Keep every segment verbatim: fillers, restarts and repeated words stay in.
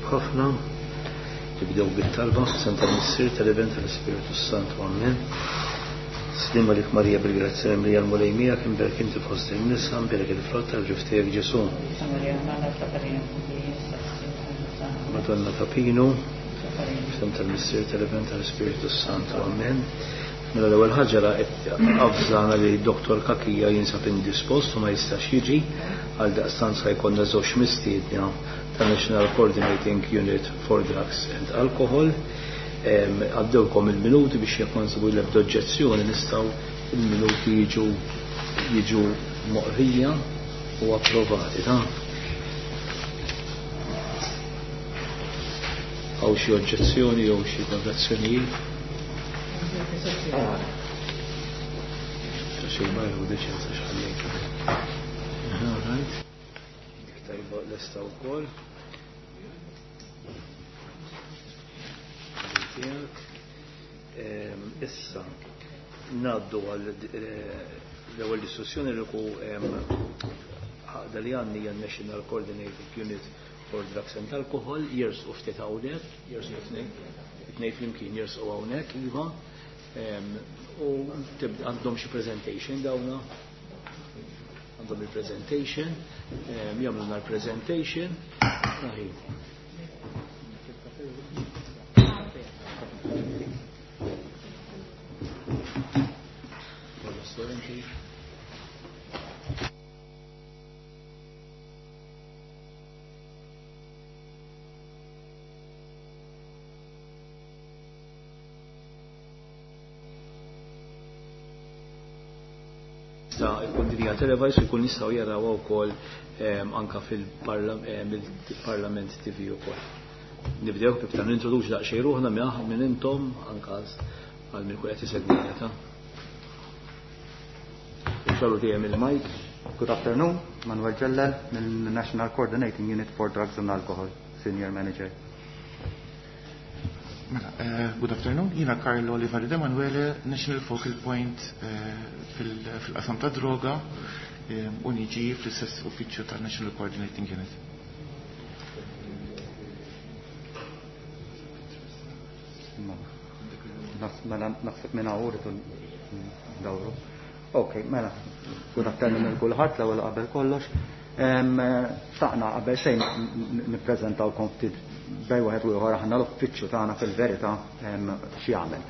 Tajjeb ħafna. Nibdew bit-talba, Santa Missier tal-Iben tal-Ispiritu Santu, Amen. Sliem għalik Marija bil-grazzja mimlija l-Mulej miegħek, imberek inti fost in-nisa, imberek il-frott tal-ġuf tiegħek Ġesù. Madonna ta' Pinu, f'isem tal-Missier tal-Iben tal-Ispiritu Santu, Amen. Mela l-ewwel ħaġa avżana li Dottor Cachia jinsab indispost u ma jistax jiġi, għal daqstant sa jkollna żewġ mistiedna ta' National Coordinating Unit for Drugs and Alcohol. Għaddewkom il-minuti biex jekk ma nsibu l-ebda oġġezzjoni nistgħu il-minuti jiġu jiġu moqrija u approvati, ta' Hawn xi oġġezzjoni jew xi korrezzjonijiet? Ta' xejn bajru deċenza x'ħallejt. All right. Dik tajba lesta wkoll. Tiegħek. Issa ngħaddu għal l-ewwel diskussjoni li ku għaqda li għandni hija National Coordinating Unit for Drugs and Alcohol, jersqu ftit hawnhekk, jersqu tnejn, tnejn flimkien jersqu hawnhekk, iva. U għandhom xi presentation dawna. Għandhom il-presentation, jagħmluna l-presentation. Aħi. Ta' ikun din hija televised u jkun jistgħu jarawha wkoll anka fil-Parlament T V ukoll. Nibdew kif ta' nintroduċi daqsxejn ruħna minn intom anka għal min ikun qed isegwina ta'. Xallu dejjem il-mic. Good afternoon, Manuel Ġellel mill-National Coordinating Unit for Drugs and Alcohol, Senior Manager. Mela, uh, good afternoon, jiena Carlo Olivari De Manuele, National Focal Point uh, fil-qasam ta' droga um, u niġi fl-istess uffiċċju ta' National Coordinating Unit. Mela, naħseb minn hawn rridu ndawru. Ok, mela, good afternoon lil kulħadd l-ewwel qabel kollox. Xtaqna qabel xejn nippreżentawkom ftit bej wieħed u ieħor aħna l-uffiċċju tagħna fil-verità x'jagħmel.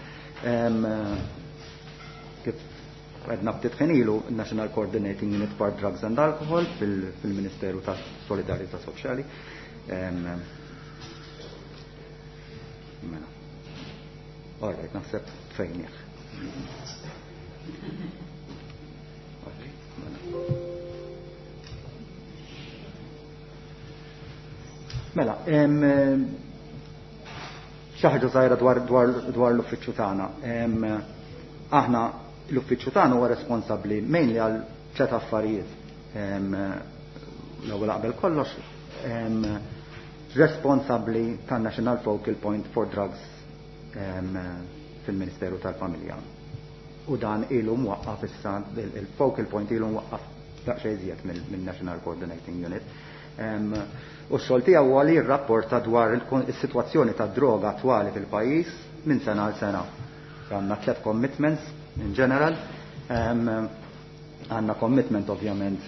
Kif għedna ftit ħin ilu, National Coordinating Unit for Drugs and Alcohol fil-Ministeru ta' Solidarità Soċjali. Mela. All right, naħseb fejn jekk. Mela, xi ħaġa żgħira dwar, dwar, dwar l-uffiċċju tagħna. Aħna l-uffiċċju tagħna huwa responsabbli mainly għal tliet affarijiet. L-ewwel qabel kollox, responsabbli tan-National Focal Point for Drugs fil-Ministeru tal-Familja. U dan ilu mwaqqaf issa, il-focal point ilu mwaqqaf daqsxejn iżjed mill-National Coordinating Unit. U x-xogħol tiegħu huwa li jirrapporta dwar is-sitwazzjoni tad-droga attwali fil-pajjiż minn sena għal sena. Għandna tliet commitments in general. Għandna commitment ovvjament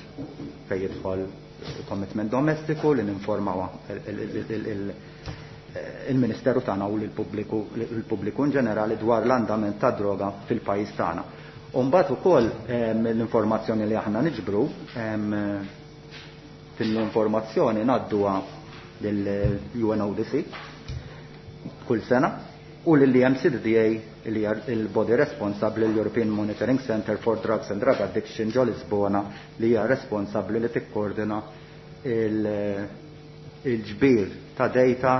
fejn jidħol commitment domestiku li ninformaw il-Ministeru tagħna u lill-pubbliku in ġenerali dwar l-andament tad droga fil-pajjiż tagħna. U mbagħad ukoll l-informazzjoni li aħna niġbru fil-informazzjoni ngħadduha lill-U N O D C kull sena u lill-E M C D D A li hija il-body responsabbli l-European Monitoring Center for Drugs and Drug Addiction ġo Lisbona li hija responsabbli li tikkoordina il-ġbir ta' data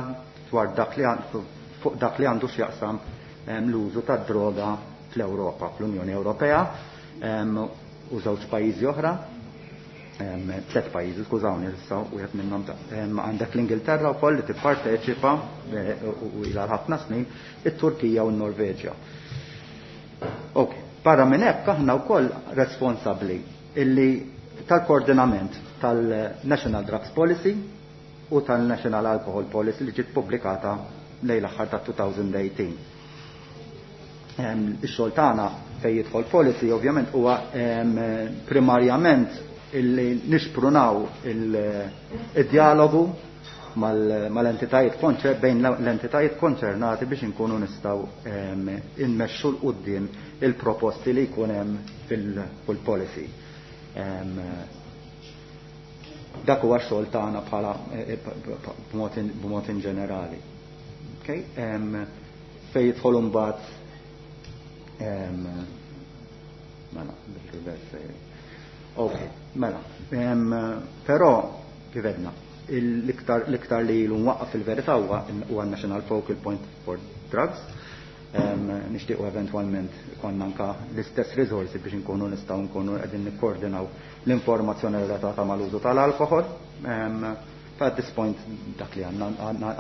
dwar dak li għandu, fuq dak li għandu x'jaqsam l-użu ta' droga fl-Ewropa, fl-Unjoni Ewropea, u żewġ pajjiżi oħra, tliet pajjiżi, skużawni, issa wieħed minnhom ta', għandek l-Ingilterra wkoll li tipparteċipa, e, u ilha ħafna snin, it-Turkija u n-Norveġja. Ok, barra minn hekk aħna wkoll responsabbli illi tal-koordinament tal-National Drugs Policy u tal-National Alcohol Policy li ġiet pubblikata lejn l-aħħar ta' elfejn u tmintax. Ix-xogħol tagħna fejn jidħol policy ovvjament huwa primarjament illi nixprunaw il-dialogu mal-entitajiet bejn l-entitajiet konċernati biex inkunu nistgħu immexxu 'l quddiem il-proposti li jkun hemm fil-policy. Dak huwa x-xogħol tagħna bħala b'mod in ġenerali. Fejn jidħol imbagħad, mela, bil-reverse. Ok, mela. Però kif għedna, l-iktar li ilu mwaqqaf fil-verità huwa National Focal Point for Drugs. Nixtiequ eventwalment konna anka l-istess risorsi biex nkunu nistgħu nkunu qegħdin nikkoordinaw l-informazzjoni relatata mal-użu tal-alkohol. At this point dak li għandna,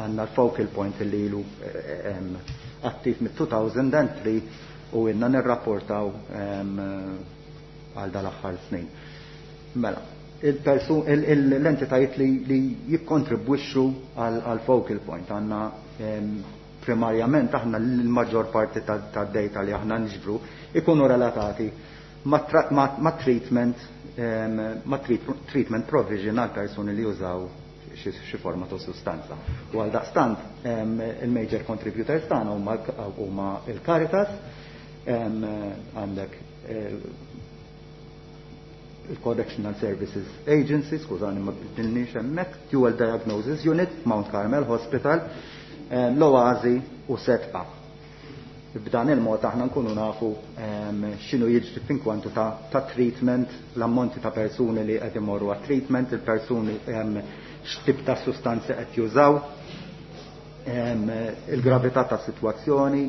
għandna l-focal point li ilu attiv mit-elfejn u tlieta u ilna nirrapportaw għal dal-aħħar snin. Mela, l-entitajiet li jikkontribwixxu għal focal point, għandna primarjament aħna l-maġġor parti tad-data li aħna niġbru ikunu relatati ma' treatment ma' treatment provision għal persuni li jużaw xi forma ta' sustanza. U għal daqstant il-major contributors tagħna huma il-Caritas, għandek il-Correctional Services Agency, skużani ma bidilniex hemmhekk, Dual Diagnosis Unit, Mount Carmel Hospital, l-Oazi u Sedqa. B'dan il-mod aħna nkunu nafu x'inhu jiġri f'inkwantu ta', ta treatment, l-ammonti ta' persuni li qed imorru għat treatment, il-persuni x'tip ta' sustanzi qed jużaw, il-gravità ta' sitwazzjoni,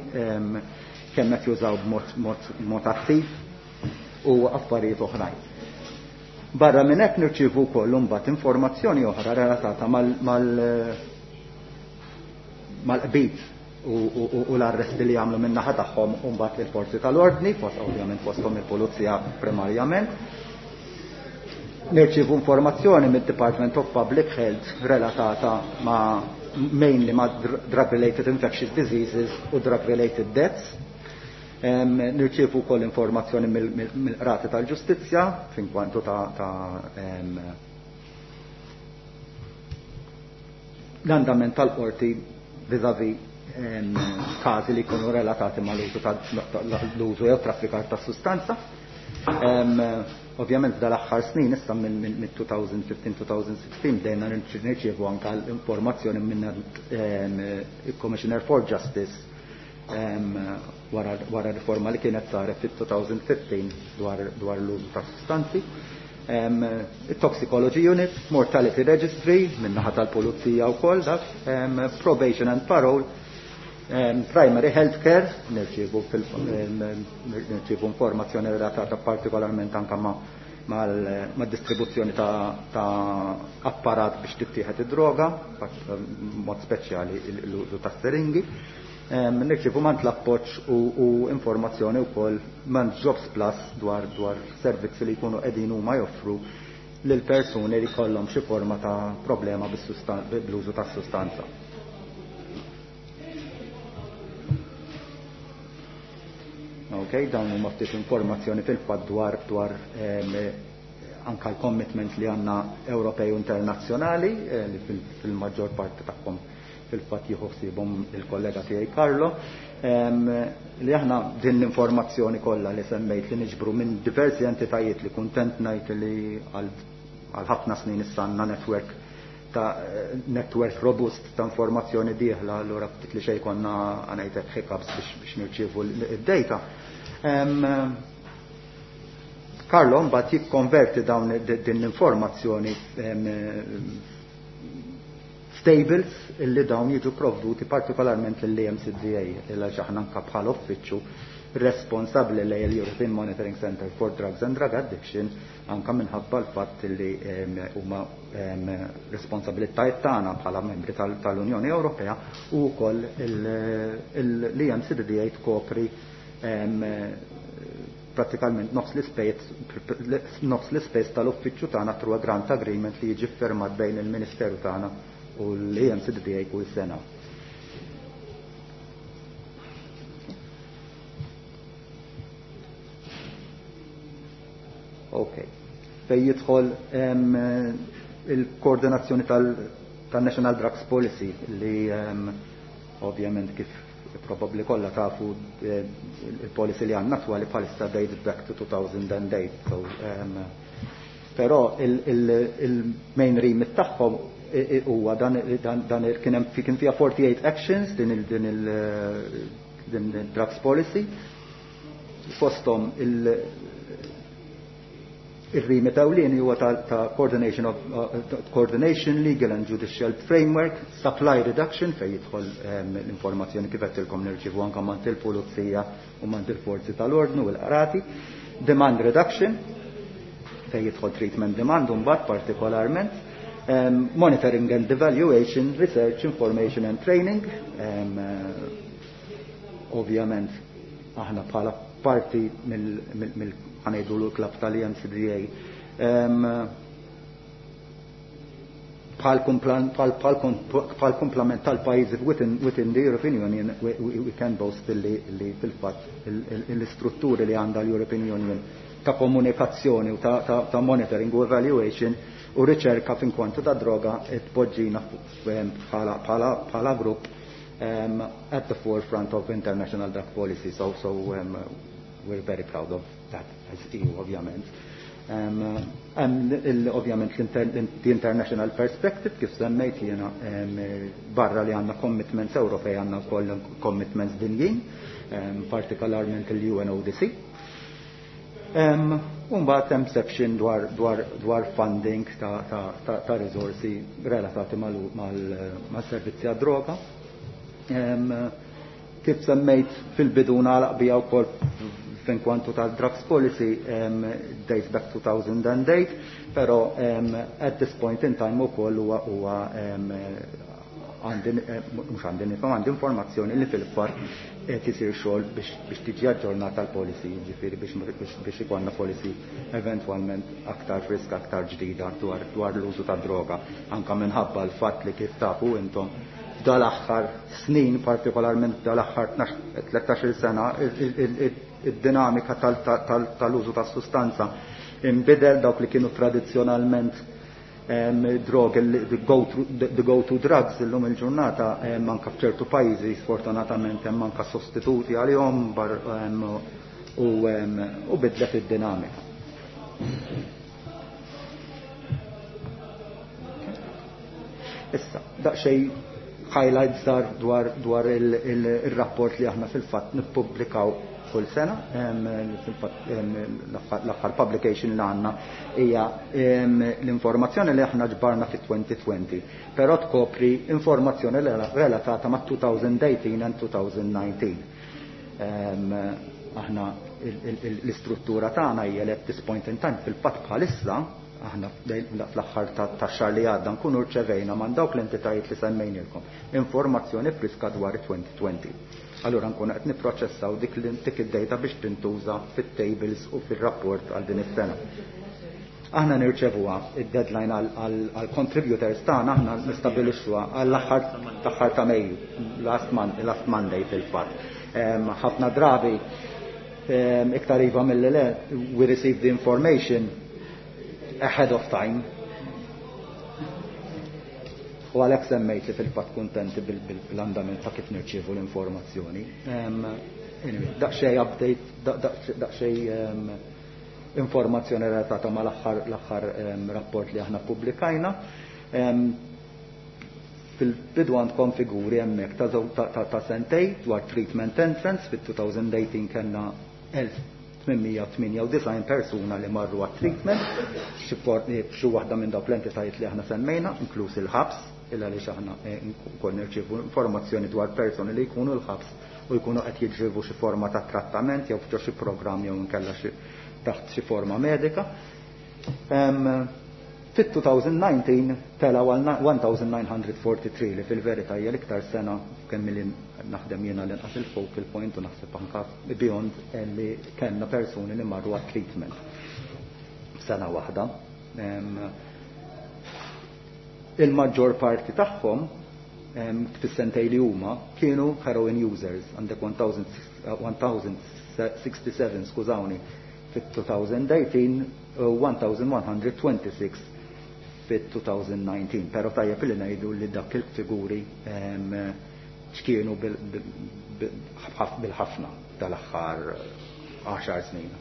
kemm qed jużaw b'mod attiv u affarijiet oħrajn. Barra minn hekk nirċievu wkoll imbagħad informazzjoni oħra relatata mal-qbid u l-arresti li jagħmlu min-naħa tagħhom mbagħad il-forzi tal-ordni, fost ovvjament fosthom il-pulizija primarjament. Nirċievu informazzjoni mid-Department of Public Health relatata ma' mainly ma' drug-related infectious diseases u drug-related deaths. Nirċievu wkoll informazzjoni mill-qrati tal-ġustizzja f'inkwantu ta' l-andament tal-qorti vis-a-vis każi li jkunu relatati ma' l-użu jew traffikar ta' sustanza. Ovvjament dal-aħħar snin issa minn elfejn u ħmistax-elfejn u sittax bdejna nirċievu anka l-informazzjoni minn il-Commissioner for Justice wara riforma li kienet saret fit-elfejn u ħmistax dwar l-użu ta' sustanzi. Il-Toxicology Unit, Mortality Registry, min-naħa tal-Pulizija u koll, dak, Probation and Parole, Primary Healthcare, nirċievu informazzjoni relatata partikolarment anka ma' ma' distribuzzjoni ta', ta apparat biex tittieħed id-droga, mod speċjali l-użu ta' siringi. Nirċievu mingħand l-appoġġ u, u informazzjoni wkoll mingħand Jobs Plus dwar dwar servizzi li jkunu qegħdin huma joffru lil persuni li kollhom xi forma ta' problema bl-użu ta' sustanza. Ok, dawn huma ftit informazzjoni fil-fatt dwar dwar anka l-commitment li għandna Ewropej u internazzjonali eh, li fil-maġġor parti tagħhom fil-fatt jieħu ħsiebhom il-kollega tiegħi Carlo, li aħna din l-informazzjoni kollha li semmejt li niġbru minn diversi entitajiet, li kuntent ngħid li għal ħafna snin issa għandna network ta' network robust ta' informazzjoni dieħla, allura ftit li xejn konna ngħidlek hiccups biex nirċievu id-data. Carlo mbagħad jikkonverti dawn din l-informazzjoni f'tables illi dawn jiġu provduti partikolarment lill-E M C D A, illa aħna anka bħala uffiċċju responsabbli lejn l-European Monitoring Center for Drugs and Drug Addiction, anka minħabba l-fatt li huma responsabilitajiet tagħna bħala membri tal-Unjoni Ewropea u wkoll l-E M C D A tkopri prattikalment nofs l-ispejjeż tal-uffiċċju tagħna through a grant agreement li jiġi firmat bejn il-Ministeru tagħna u l-E M C D A kull sena. Ok. Fej jidħol il-koordinazzjoni tal-National Drugs Policy li ovvjament kif probabbli kollha tafu il-policy li għandna attwali bħalissa dated back to two thousand and eight. So, um, però il-main remit tagħhom huwa dan, dan, dan kien hemm kien fiha forty-eight actions din il, din il, din il-drugs policy. Fosthom il il-remit ewlieni huwa ta', ta' coordination of, uh, coordination, legal and judicial framework, supply reduction fejn jidħol um, l-informazzjoni kif qedtilkom nirċievu anke mant il-pulizija u mant il-forzi tal-ordnu u l-qrati, demand reduction fejn jidħol treatment demand mbagħad partikolarment, um, monitoring and evaluation, research, information and training, um, uh, ovvjament aħna bħala parti mill, mill, mill ħanejdu l-klab tal-E M C D A. Bħal kumplament tal-pajjiżi within, within the European Union, we, we, we can boast li, li fil-fatt l-istrutturi li għandha l-European Union ta' komunikazzjoni u ta', ta, ta' monitoring u evaluation u riċerka fin kwantu ta' droga tpoġġina bħala, bħala, bħala grupp um, at the forefront of international drug policy. So, so um, we're very proud of that as E U, ovvjament. Um, um, ovvjament the international perspective, kif semmejt jiena, um, barra li għandna commitments Ewropej, għandna wkoll commitments dinjin, um, partikolarment il-U N O D C. Um, Umbagħad hemm section dwar, dwar, dwar funding ta', ta, ta, ta' risorsi relatati mal-servizzi għad-droga. Um, kif semmejt fil-bidu nagħlaq bija wkoll fin kwantu tal-drugs policy, um, dates back two thousand and eight, però um, at this point in time ukoll huwa, huwa, um, għandi, eh, mhux għandi nifhem, għandi informazzjoni li fil-fatt qed isir xogħol biex, biex tiġi aġġornata l-policy, jiġifieri biex, biex, biex ikollna policy eventwalment aktar friska, aktar ġdida dwar, dwar l-użu ta' droga, anka minħabba l-fatt li kif tafu intom dal-aħħar snin, partikolarment dal-aħħar tlettax-il sena, id-dinamika tal-użu tas-sustanza imbidel dawk li kienu tradizzjonalment drog, the go-to, the go-to drugs illum il-ġurnata, anka f'ċertu pajjiżi sfortunatament hemm anka sostituti għalihom u, u bidlet id-dinamika. Issa, daqsxejn highlights dar dwar, dwar il-rapport li aħna fil-fatt nippubblikaw kull sena. Fil-fatt, l-aħħar publication li għandna hija l-informazzjoni li aħna ġbarna fi twenty twenty, però tkopri informazzjoni relatata ma' two thousand eighteen and two thousand nineteen. Aħna l-istruttura tagħna hija li at this point in time fil-fatt bħalissa aħna fl-aħħar tax-xahar li għadda nkunu rċevejna minn dawk l-entitajiet li semmejnilkom informazzjoni friska dwar twenty twenty. Allura nkunu qed nipproċessaw dik dik id-data biex tintuża fit-tables u fir-rapport għal din is-sena. Aħna nirċevuha id-deadline għal contributors tagħna, aħna nistabilixxuha għall-aħħar aħħar ta' Mejju, last month, last Monday fil-fatt. Ħafna drabi, iktar iva mill-le, we receive the information ahead of time. U għalhekk semmejt li fil-fatt kuntenti bil-andament ta' kif nirċievu l-informazzjoni. Anyway, daqsxejn update, daqsxejn informazzjoni relatata ma' l-aħħar, l-aħħar rapport li aħna ppubblikajna. Fil-bidu għandkom figuri hemmhekk ta' żew-, ta', ta', ta' sentej dwar treatment entrance fit-two thousand eighteen kellna elf tmienmija tmienja u disgħin persuna li marru għat-treatment, xi for-, xi waħda minn dawk l-entitajiet li aħna semmejna, inkluż il-ħabs, illa għaliex aħna, eh, wkoll nirċievu informazzjoni dwar persuni li jkunu l-ħabs u jkunu qed jirċievu xi forma ta' trattament jew f'ġo xi programm jew inkella xi taħt xi forma medika. Em, fit-two thousand nineteen telgħu għal one thousand nine hundred forty-three li fil-verità hija l-iktar sena kemm li naħdem jiena l-inqas il-focal point u naħseb anka beyond li kellna persuni li marru għat-treatment sena waħda. Em, Il-maġġor parti tagħhom fis-sentej li huma kienu heroin users, għandek one thousand sixty-seven, skużawni, fit-two thousand eighteen u one thousand one hundred twenty-six fit-twenty nineteen, pero tajjeb li ngħidu li dak il-figuri ċkienu bil-ħafna tal-aħħar għaxar snin,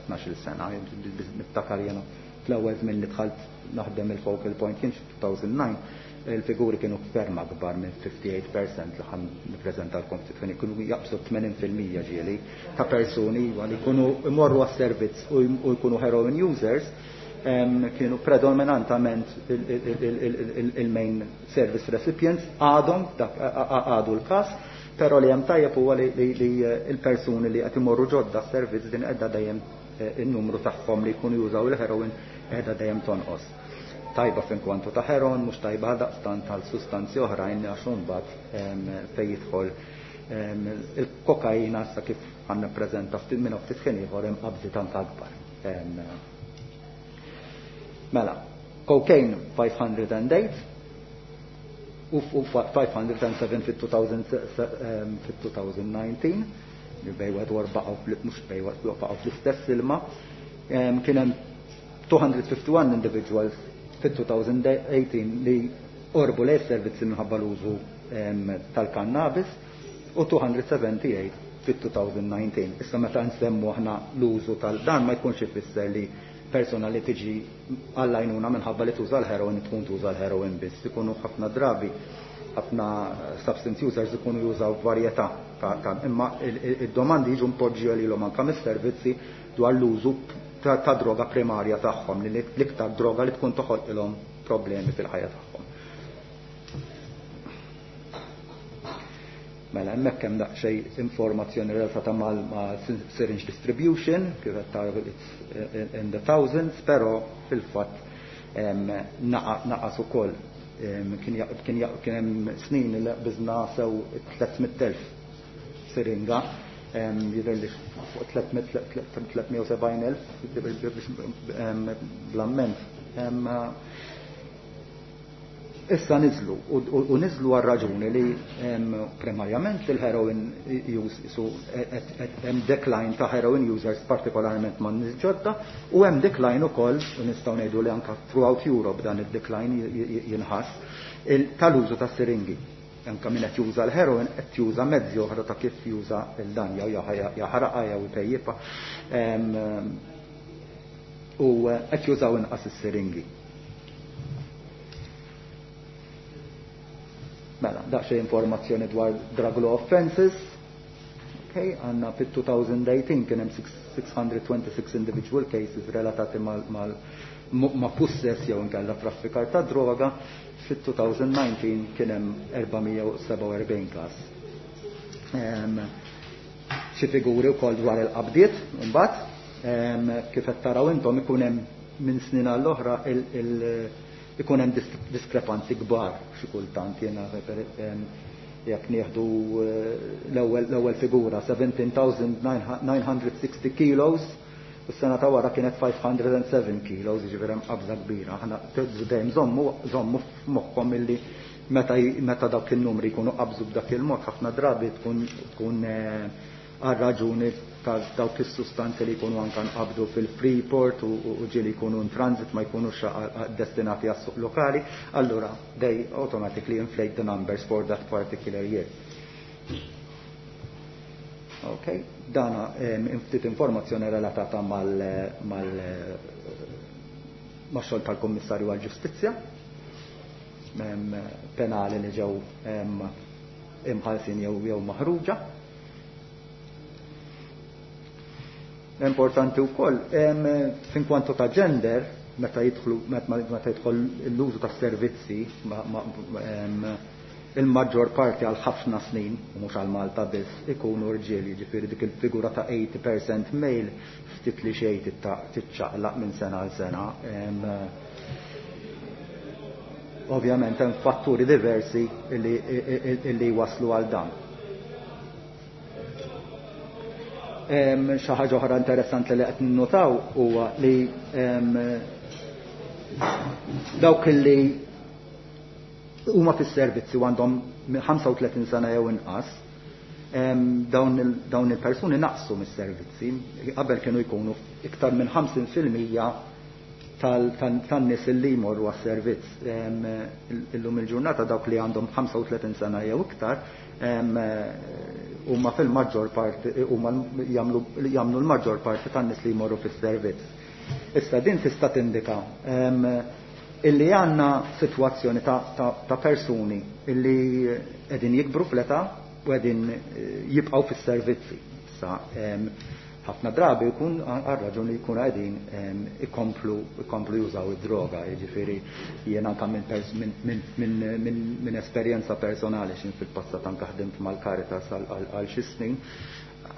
tnax-il sena. Niftakar jena fl-ewwel żmien li dħalt naħdem il-focal point kien two thousand nine, il-figuri kienu ferm akbar minn fifty-eight percent li ħa nippreżentalkom ftit, kienu jaqbżu tmenin fil-mija ġieli ta' persuni li jkunu imorru għas-servizz u jkunu heroin users, kienu predominantament il-main service recipients, għadhom għadu l-kas, pero li hemm tajjeb huwa li il-persuni li qed imorru ġodda s-servizz din qiegħda dejjem in-numru tagħhom li jkunu jużaw il-heroin qiegħda dejjem tonqos. Tajba fin kwantu ta' heroin, mhux tajba daqstant tal sustanzi oħrajn, għax imbagħad fejn jidħol il-kokaina, sa kif ħa nippreżenta ftit minn ftit ħin ieħor, hemm qabżi tant akbar. Mela, cocaine five hundred eight u five hundred seven fit-twenty nineteen, li bejn wieħed u baqgħu, mhux bejn wieħed, baqgħu fl-istess ilma. Kien hemm two hundred fifty-one individuals fit-twenty eighteen li qorbu lejn servizzi minħabba l-użu tal-kannabis u two hundred seventy-eight fit-twenty nineteen. Issa meta nsemmu aħna l-użu tal-dan ma jkunx ifisser li persona li tiġi għall-għajnuna minħabba li tuża l-heroin tkun tuża l-heroin biss. Ikunu ħafna drabi ħafna substance users ikunu jużaw varjetà ta', imma id-domandi jiġu mpoġġi lilhom anke mis-servizzi dwar l-użu ta' droga primarja tagħhom, li l-iktar droga li tkun toħolqilhom problemi fil-ħajja tagħhom. Mela, hemmhekk hemm daqsxejn informazzjoni relatata mal ma' syringe distribution, kif qed taraw it's in the thousands, però fil-fatt naqas ukoll. Kien kien hemm snin li qbiżna sew tliet mitt elf siringa, jidher li fuq tliet mija u sebgħin elf bl-amment. Issa niżlu, u niżlu għal raġuni li primarjament il-heroin use, su hemm decline ta' heroin users, partikolarment ma' nies ġodda, u hemm decline ukoll, u nistgħu ngħidu li anka throughout Europe dan id-decline jinħass tal-użu ta' siringi. Anka min qed juża l-heroin qed juża mezzi oħra ta' kif juża il-dan, jew jaħraqha jew ipejjipha u qed jużaw inqas is-siringi. Mela, daqsxejn informazzjoni dwar drug law offenses. Okay, għandna fit-twenty eighteen kien hemm six hundred twenty-six individual cases relatati mal, mal ma' pussess jew inkella traffikar ta' droga, fit-twenty nineteen kien hemm four hundred forty-seven każ. Xi figuri wkoll dwar il-qabdiet imbagħad, kif qed taraw intom, ikun hemm minn snin għall-oħra ikun hemm diskrepanzi kbar xi kultant. Jiena jekk nieħdu l-ewwel figura, seventeen thousand nine hundred sixty kilos, u s-sena ta' wara kienet five hundred seven kilos, jiġifieri hemm qabża kbira. Aħna dejjem żommu żommu f'moħħkom illi meta meta dawk in-numri jkunu qabżu b'dak il-mod, ħafna drabi tkun tkun għal raġuni ta' dawk is-sustanzi li jkunu anka nqabdu fil-Freeport u ġieli jkunu in transit, ma jkunux destinati għas-suq lokali, allura they automatically inflate the numbers for that particular year. Okay, dana ftit informazzjoni relatata mal mal ma' xogħol tal-Kummissarju għall-Ġustizzja, penali li ġew imħalsin jew jew maħruġa. Importanti wkoll fin kwantu ta' gender, meta jidħlu meta jidħol l-użu ta' servizzi, il-maġġor parti għal ħafna snin, u mhux għal Malta biss, ikunu rġiel, jiġifieri dik il-figura ta' eighty percent male ftit li xejn tiċċaqlaq minn sena għal sena. Ovvjament hemm fatturi diversi illi waslu għal dan. Xi ħaġa oħra interessanti li qed ninnotaw huwa li dawk li huma fis-servizzi u għandhom ħamsa u tletin sena jew inqas, dawn il-persuni naqsu mis-servizzi. Qabel kienu jkunu iktar minn ħamsin fil-mija tan-nies li jmorru għas-servizz. Illum il-ġurnata dawk li għandhom ħamsa u tletin sena jew iktar huma fil-maġġor parti, huma jagħmlu l-maġġor parti tan-nies li jmorru fis-servizz. Issa din tista' tindika illi għandna sitwazzjoni ta' persuni illi qegħdin jikbru fl-età u qegħdin jibqgħu fis-servizzi. Issa ħafna drabi jkun għal raġuni li jkunu qegħdin ikomplu ikomplu jużaw id-droga, jiġifieri jiena anke minn esperjenza personali x'in fil-passat anke ħdimt mal-Caritas għal xi snin,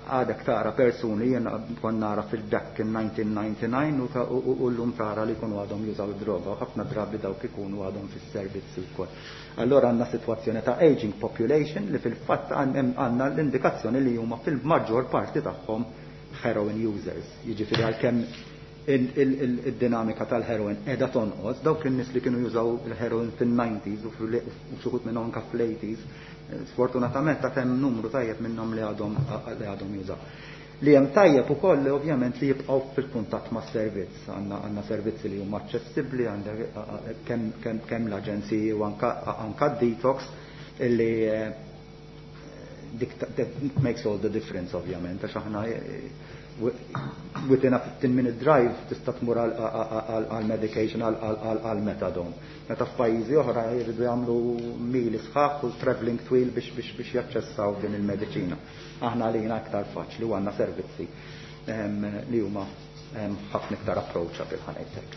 għadek tara persuni jiena kont nara fil-back in nineteen ninety-nine u llum tara li jkunu għadhom jużaw id-droga u ħafna drabi dawk ikunu għadhom fis-servizzi wkoll. Allora għandna sitwazzjoni ta' aging population li fil-fatt għandna l-indikazzjoni li huma fil-maġġor parti tagħhom heroin users. Jiġifieri għalkemm il-dinamika tal-heroin qiegħda tonqos, dawk in-nies li kienu jużaw il-heroin fin-nineties u xi wħud minnhom anke fl-eighties, sfortunatament ta' hemm numru tajjeb minnhom li għadhom li għadhom jużaw. Li hemm tajjeb ukoll li ovvjament li jibqgħu fil-kuntatt mas-servizz. Għandna, għandna servizzi li huma aċċessibbli, għandek kemm, kemm, kemm l-aġenziji u anka, anka d-detox illi dik that makes all the difference ovvjament, għax aħna within a fifteen minute drive tista' tmur għal medication, għal methadone. Meta f'pajjiżi oħra jridu jagħmlu mili sħaħ u traveling twil biex, biex, biex jaċċessaw din il-mediċina. Aħna għalina aktar faċli u għandna servizzi li huma ħafna iktar approachable ħa ngħidlek.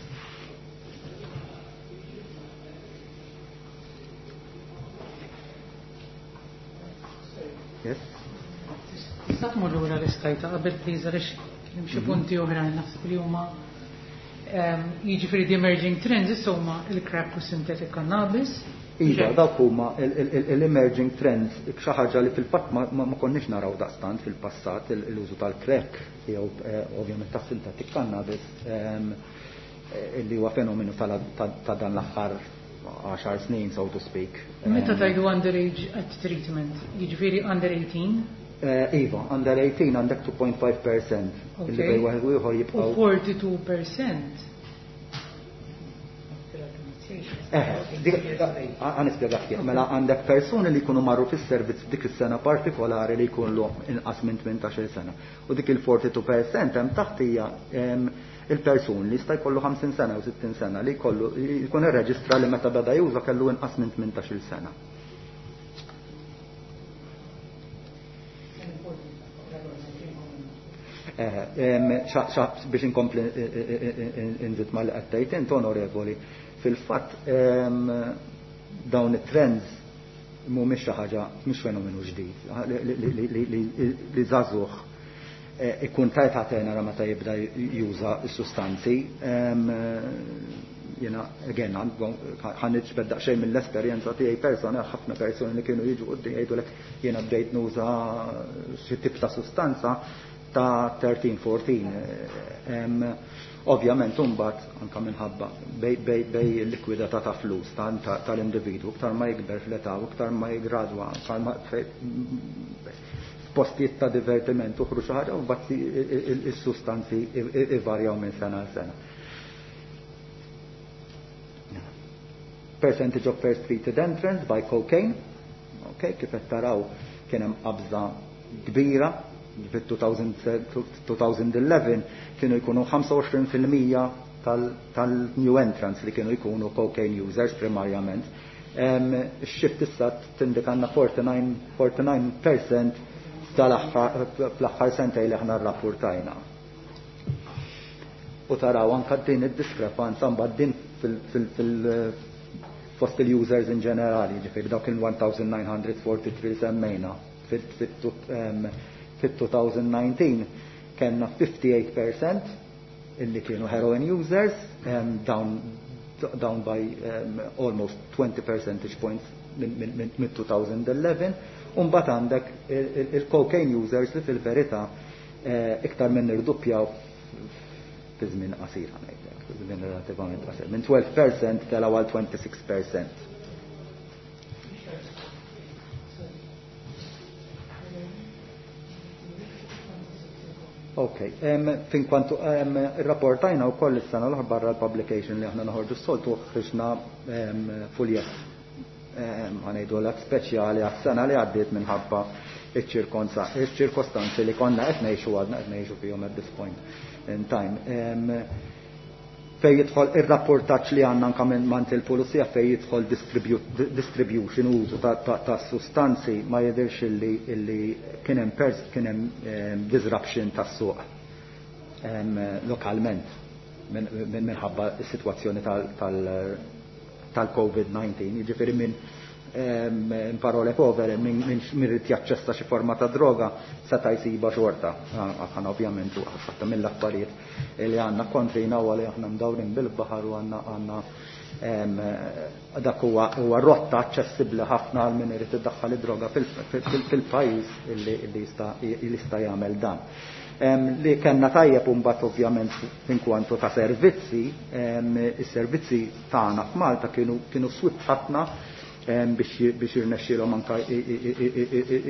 Yes? Tista' tmur lura l-istajta qabel please għaliex hemm xi punti oħra naħseb li huma, ehm, jiġifieri the emerging trends issa huma il-crack u synthetic cannabis. Iva, dawk huma l-emerging trends, xi ħaġa li fil-fatt ma, ma, ma konniex naraw daqstant fil-passat, l-użu tal-crack jew, eh, ovvjament tas synthetic cannabis, ehm, eh, li huwa fenomenu ta' dan l-aħħar għaxar snin, so to speak. Meta tajdu underage at treatment, jiġifieri under eighteen? Eh, iva, under eighteen għandek two point five percent. Okay. Illi bej wieħed u ieħor jibqgħu. U forty-two percent. Eh, dik, nispjega ftit. Mela għandek persuni li jkunu marru fis-servizz f'dik is-sena partikolari li jkunu inqas minn tmintax-il sena. U dik il-forty-two percent hemm taħt hija, em, il-persuni li jista' jkollu ħamsin sena u sittin sena li jkollu jkun irreġistra li meta beda juża kellu inqas minn tmintax-il sena. Eh, em, xa, xa, biex inkompli, eh, eh, eh, eh, nżid ma li qed tgħid int, onorevoli, fil-fatt, em, dawn it-trends mhumiex xi ħaġa, mhux fenomenu ġdid, li, li, li, li, li, li żagħżugħ, eh, ikun ta' età tenera meta jibda juża s-sustanzi. Em, jiena, again, ħa niġbed daqsxejn mill-esperjenza tiegħi persona, ħafna persuni li kienu jiġu quddiem jgħidulek jiena bdejt nuża xi tip ta' sustanza ta' thirteen, fourteen. Em, ovvjament, imbagħad anke minħabba bej, bej, bej il-likwidità ta' flus ta', ta', tal-individwu, iktar ma jikber fl-età u iktar ma jigradwa, iktar ma f'postijiet ta' divertiment uħru xi ħaġa, u mbagħad is-sustanzi ivarjaw minn sena għal sena. Percentage of first treated entrants by cocaine, okay, kif qed taraw kien hemm qabża kbira fit-two thousand eleven kienu jkunu ħamsa u għoxrin fil-mija tal-new entrants li kienu jkunu cocaine users primarjament. Em, Ix-shift issa tindikanna forty-nine, forty-nine percent tal-aħħar, fl-aħħar sentej li aħna rrapportajna. U taraw anka din id-diskrepanza mbagħad din fil-, fil-, fil-, fost il-users in ġenerali, ġifieri dawk il one thousand nine hundred forty-three semmejna fil-two thousand nineteen kellna fifty-eight percent illi kienu heroin users, um, down, down by, um, almost twenty percentage points minn two thousand eleven, u mbagħad għandek il-cocaine users li fil-verità, eh, iktar minn irduppjaw fi żmien qasir, ngħidlek, fi żmien relattivament qasir. Minn twelve percent telgħu għal twenty-six percent. Ok, fin kwantu rapportajna u koll is-sena l barra l-publication li aħna noħorġu s-soltu ħriġna fuljett ħa ngħidu l speċjali għas-sena li għaddiet minħabba iċ-ċirkostanzi li konna qed ngħixu, għadna qed ngħixu fihom at this point in time. Fej jidħol ir-rapportaġġ li għandna anke minn mant il-pulizija fej jidħol distribution, użu ta' sustanzi, ma jidhirx illi kien hemm kien hemm disruption tas-suq lokalment minħabba s-sitwazzjoni tal-COVID nineteen. Jiġifieri minn, in parole povere, min irid jaċċessa xi forma ta' droga seta' jsibha xorta. Aħna ovvjament ħadd mill-affarijiet li għandna kontrina huwa li aħna mdawrin bil-baħar u għandna għandna dak huwa rotta aċċessibbli ħafna għal min irid iddaħħal id-droga fil-pajjiż illi jista' jagħmel dan. Li kellna tajjeb mbagħad ovvjament inkwantu ta' servizzi, is-servizzi tagħna f'Malta kienu kienu swift ħafna biex biex jirnexxielhom anke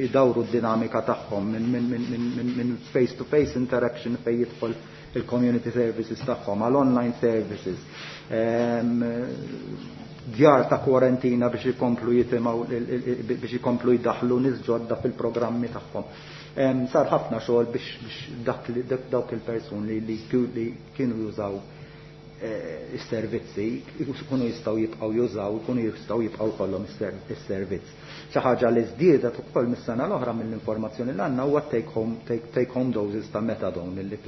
idawru d-dinamika tagħhom minn face to face interaction fejn jidħol il-community services tagħhom għal online services, djar ta' kwarantina biex ikomplu jitimgħu, biex ikomplu jdaħlu nies ġodda fil-programmi tagħhom. Sar ħafna xogħol biex dawk il-persuni li kienu jużaw is-servizzi ikunu jistgħu jibqgħu jużaw, ikunu jistgħu jibqgħu jkollhom is-servizz. Xi ħaġa li żdiedet ukoll mis-sena l-oħra mill-informazzjoni li għandna huwa take home take home doses ta' methadone li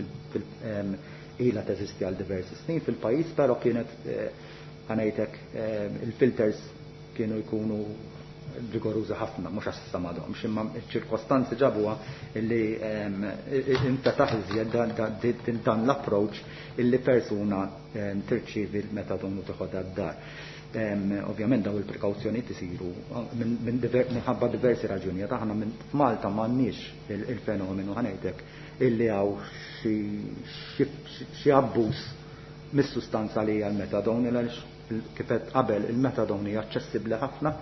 ilha teżisti għal diversi snin fil-pajjiż, però kienet, ħa ngħidlek, il-filters kienu jkunu rigorużi ħafna, mhux għax issa m'għadhomx, imma ċ-ċirkostanzi ġabuha illi infetaħ iżjed dan l-approach illi persuna tirċievi l-metadon u teħodha d-dar. Ovvjament daw il-prekawzjonijiet isiru minħabba diversi raġunijiet. Aħna f'Malta m'għandniex il-fenomenu, ħa ngħidlek, illi hawn xi abbuż mis-sustanza li hija l-metadon, għaliex kif qabel il-metadon hija aċċessibbli ħafna,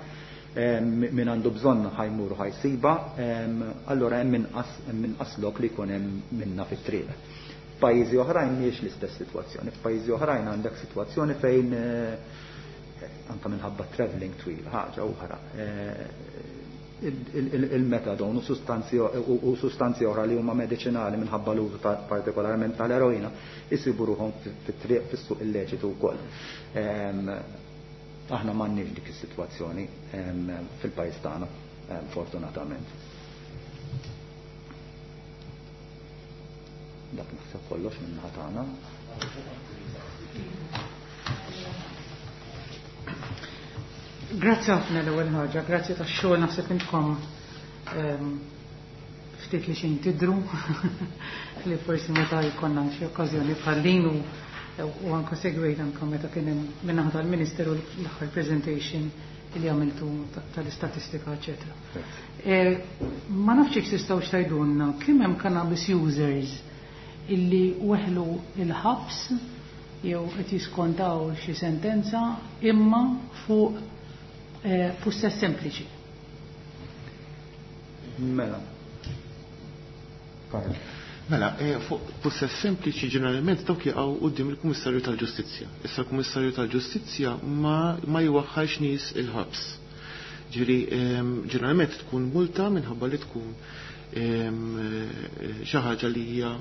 min għandu bżonn ħa jmur ħa jsibha, allora hemm inqas hemm inqas lok li jkun hemm minna fit-triq. F'pajjiżi oħrajn mhijiex l-istess sitwazzjoni. F'pajjiżi oħrajn għandek sitwazzjoni fejn anke minħabba traveling twil, ħaġa oħra, il-metadon u sustanzi u sustanzi oħra li huma mediċinali minħabba l-użu partikolarment tal-eroina jsibu ruħhom fit-triq fis-suq illeċitu wkoll. Aħna m'għandniex dik is-sitwazzjoni fil-pajjiż tagħna, fortunatament. Dak naħseb kollox minn tagħna. Grazzi ħafna l-ewwel ħaġa, grazzi tax-xogħol, naħseb intkom ftit li xejn tidru li forsi meta jkollna xi okkażjoni bħal din u u anka segwejt anka meta kien hemm min-naħa tal-Ministeru l-aħħar presentation li għamiltu tal-istatistika, eċetera. Ma nafx jekk tistgħu tgħidulna kemm hemm cannabis users illi weħlu il-ħabs jew qed jiskontaw xi sentenza imma fuq pussess sempliċi. Mela. Mela, fuq pussess sempliċi ġeneralment dawk jaqgħu quddiem il-Kummissarju tal-Ġustizzja. Issa l-Kummissarju tal-Ġustizzja ma ma jwaħħalx nies il-ħabs. Ġifieri ġeneralment tkun multa minħabba li tkun xi ħaġa li hija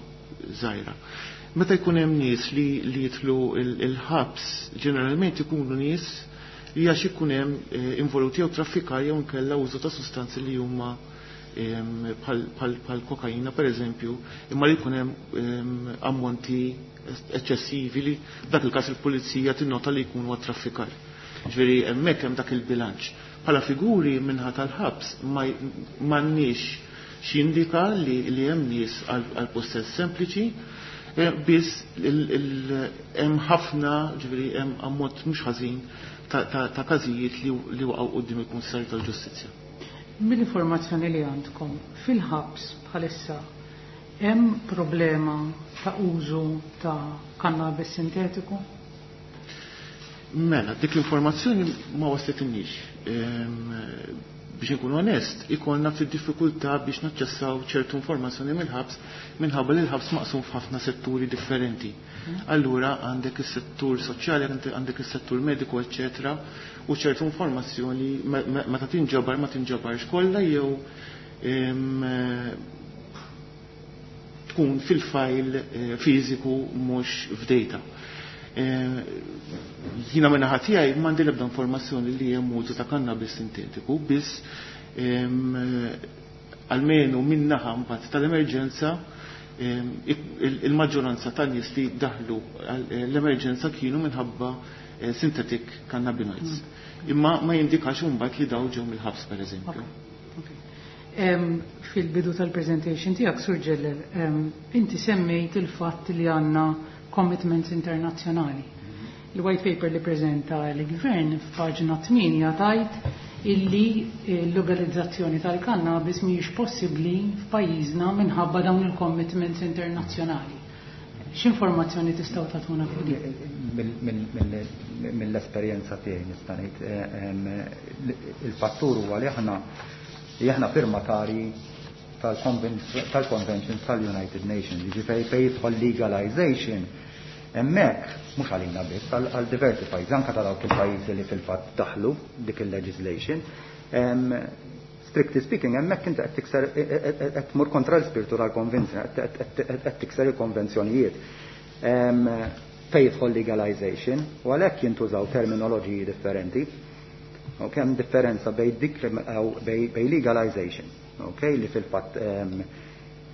żgħira. Meta jkun hemm nies li li jidħlu il-ħabs, ġeneralment ikunu nies li għax ikun hemm involuti jew traffikar jew inkella użu ta' sustanzi li huma bħal kokaina per eżempju, imma li jkun hemm ammonti eċċessivi li dak il-każ il-pulizija tinnota li jkunu għat-traffikar. Ġifieri hemmhekk hemm dak il-bilanċ. Bħala figuri minħa tal-ħabs m'għandniex x'jindika li hemm nies għal possess sempliċi, biss hemm ħafna, ġifieri hemm ammont mhux ħażin ta' każijiet li waqgħu quddiem il-Kummissarju tal-Ġustizzja. Mill-informazzjoni li għandkom fil-ħabs bħalissa hemm problema ta' użu ta' cannabis sintetiku? Mela, dik l-informazzjoni ma waslitinniex. Biex nkun onest, ikollna ftit diffikultà biex naċċessaw ċertu informazzjoni mill-ħabs minħabba li l-ħabs maqsum f'ħafna setturi differenti. Allura għandek is-settur soċjali, għandek is-settur mediku, eċċetera, u ċertu informazzjoni meta tinġabar ma tinġabarx kollha jew tkun fil-file eh, fiżiku mhux f'data. Eh, jiena minna tiegħi m'għandi l-ebda informazzjoni li hemm użu ta' cannabis sintetiku, biss almenu min-naħa mbagħad tal-emerġenza il-maġġoranza tan-nies li daħlu l-emerġenza kienu minħabba eh, synthetic cannabinoids. Mm. Imma ma jindikax imbagħad li daw ġew mill-ħabs, pereżempju. Fil-bidu tal-presentation tiegħek, Sur Ġeller, inti semmejt il-fatt li għandna commitments internazzjonali. Il-white paper li prezenta l-gvern f'paġna tmienja tajt illi l-legalizzazzjoni tal-kannabis mhijiex possibbli f'pajjiżna minħabba dawn il-commitments internazzjonali. X'informazzjoni tistgħu tagħtuna fuq din? Mill-esperjenza tiegħi nista' ngħid il-fattur huwa li aħna li aħna firmatari tal-Convention tal-United Nations, jiġifieri fejn jidħol legalization hemmhekk mhux għalina biss, għal diversi pajjiżi, anke ta' dawk il-pajjiżi li fil-fatt daħlu dik il-legislation. Strictly speaking, hemmhekk inti qed tikser, qed tmur kontra l-spiritu tal-konvenzjoni, qed tikser il-konvenzjonijiet. Fejn jidħol legalization, u għalhekk jintużaw terminoloġiji differenti. U hemm differenza bejn bej legalization, okay, li fil-fatt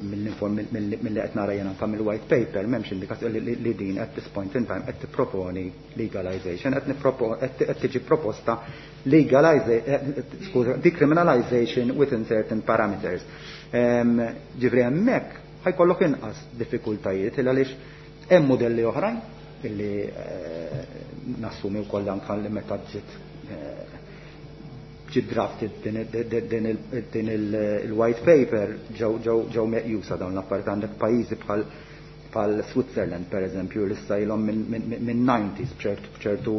mill-li qed nara jiena anke mill-white paper m'hemmx indikazzjoni li din at this point in time qed tipproponi legalization, qed qed tiġi proposta legalization, decriminalization within certain parameters. Ġifieri hemmhekk ħa jkollok inqas diffikultajiet il għaliex hemm modelli oħrajn illi nassumi wkoll anke li meta ġiet ġi drafted din il-white paper ġew meqjusa dawn l-affarijiet. Għandek pajjiżi bħal bħal Switzerland, per eżempju, li issa ilhom minn nineties b'ċertu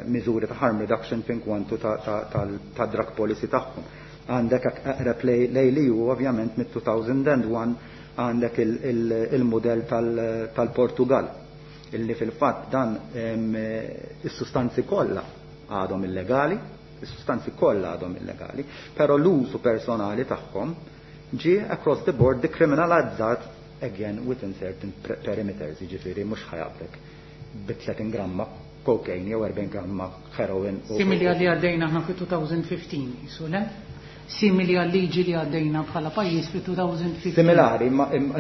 miżuri ta' harm reduction fin kwantu ta' drug policy tagħhom. Għandek eqreb lej li ju ovvjament mit-elfejn u wieħed għandek il-modell tal-Portugal illi fil-fatt dan is-sustanzi kollha għadhom illegali, is-sustanzi kollha għadhom illegali, però l-użu personali tagħhom ġie across the board decriminalizzat, again within certain perimeters, jiġifieri mhux ħa jaqbdek bi tletin gramma cocaine jew erbgħin gramma heroin. Simili għalli għaddejna aħna fi elfejn u ħmistax, su le? Simili għal liġi li għaddejna bħala pajjiż fi elfejn u ħmistax. Similari,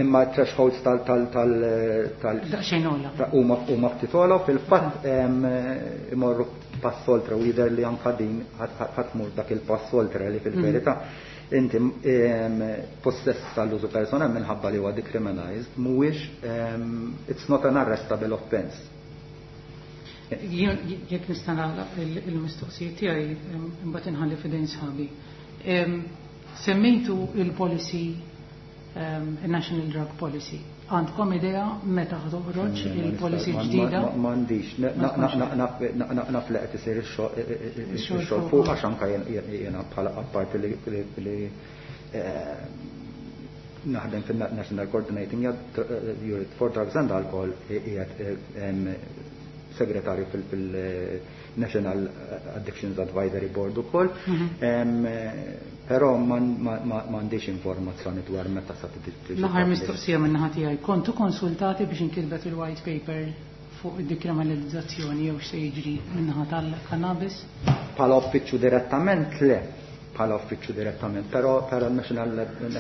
imma thresholds tal tal tal tal Daqsxejn ogħla. Huma huma ftit ogħla, fil-fatt imorru pass oltre u jidher li anka din ħa tmur dak il-pass oltre li fil-verità inti possess tal-użu personali minħabba li huwa decriminalized mhuwiex, it's not an arrestable offense. Jekk nista' nagħlaq il-mistoqsijiet tiegħi, imbagħad inħalli f'idejn sħabi. Semmejtu il-policy, il-National Drug Policy. Għandkom idea meta toħroġ il-policy ġdida? M'għandix, naf li qed isir ix-xogħol fuq għax anke jiena bħala apparti li naħdem fin-National Coordinating Unit for Drugs and Alcohol, qiegħed segretarju fil-National Addictions Advisory Board ukoll. Però m'għandix informazzjoni dwar meta sa tiġi. L-aħħar mistoqsija minn naħa tiegħi. Kontu konsultati biex inkitbet il-white paper fuq id-dekriminalizzazzjoni jew x'se jiġri min-naħa tal-cannabis? Bħala uffiċċju direttament le, bħala uffiċċju direttament, però però National,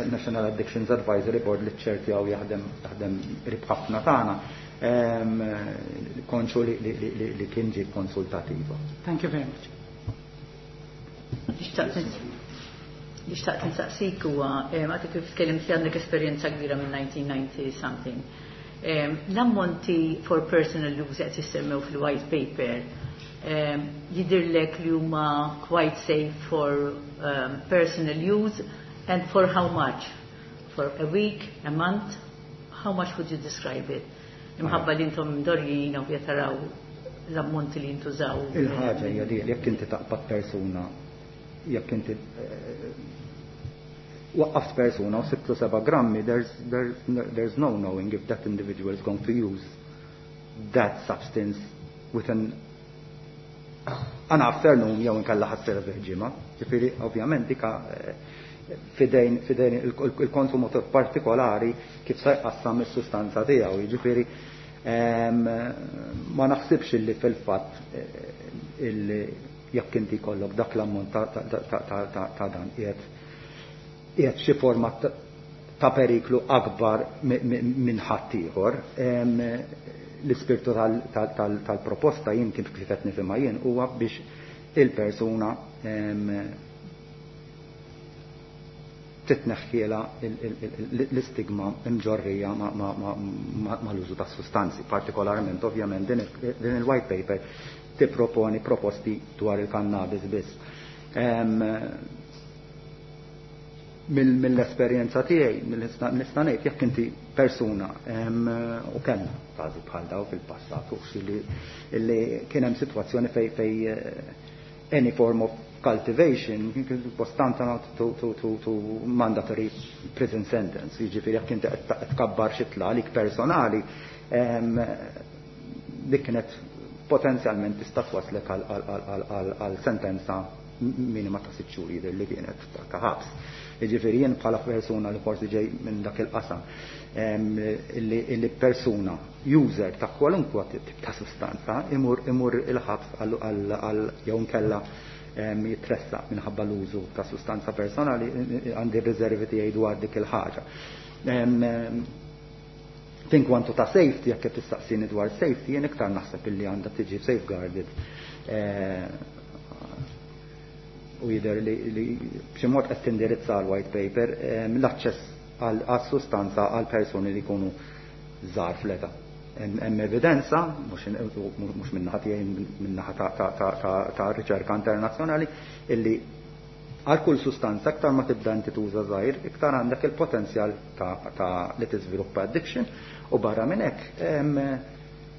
National Addictions Advisory Board li ċerti għaw jaħdem jaħdem qrib ħafna tagħna, konxju li, li, li, li kien ġie konsultativa. Thank you very much. Li xtaqt nsaqsik huwa, għadek kif tkellimt li għandek esperjenza kbira minn nineteen ninety something. L-ammonti for personal use qed jissemmew fil-white paper jidirlek li huma quite safe for um, personal use, and for how much? For a week, a month? How much would you describe it? Imħabba li intom mdorrijin u taraw l-ammonti li jintużaw. Il-ħaġa hija di, jekk inti taqbad persuna Jekk inti waqqaft persuna u sibtlu seba' grammi, there's, there's, there's no knowing if that individual is going to use that substance within an afternoon jew inkella ħa sservih ġimgħa. Ġifieri ovvjament dika f'idejn f'idejn il-konsumatur partikolari kif se jqassam is-sustanza tiegħu. Jiġifieri ma naħsibx illi fil-fatt illi jekk inti jkollok dak l-ammont ta' dan qiegħed qiegħed xi forma ta' periklu akbar minn ħaddieħor. L-ispirtu tal-proposta jien kif qed nifhimha jien huwa biex il-persuna titneħħiela l-istigma imġorrija mal-użu ta' sustanzi. Partikolarment, ovvjament, din il-white paper tipproponi proposti dwar il-cannabis biss. Mill-esperjenza tiegħi nista' ngħid jekk inti persuna, u kellna każi bħal daw fil-passat li kien hemm sitwazzjoni fej fej any form of cultivation was tantamount to, to, to, to mandatory prison sentence. Jiġifieri jekk inti qed tkabbar xitla għalik personali, dik kienet potenzjalment tista' twaslek għal sentenza minima ta' sitt xhur jidher li kienet ta' ħabs. Jiġifieri jien bħala persuna li forsi ġej minn dak il-qasam, illi persuna user ta' kwalunkwe tip ta' sustanza imur imur il-ħabs għal jew nkella jitressaq minħabba l-użu ta' sustanza personali, għandi riservi tiegħi dwar dik il-ħaġa. In kwantu ta' safety, jekk qed tistaqsini dwar safety, jien iktar naħseb illi għandha tiġi safeguarded u jidher li b'xi mod qed tindirizza l-white paper l-aċċess għas-sustanza għal persuni li jkunu żgħar fl-età. Hemm evidenza, mhux min-naħa tiegħi, min-naħa ta' riċerka internazzjonali, illi għal kull sustanza aktar ma tibda inti tuża żgħir, iktar għandek il-potenzjal ta' li tiżviluppa addiction, u barra minn hekk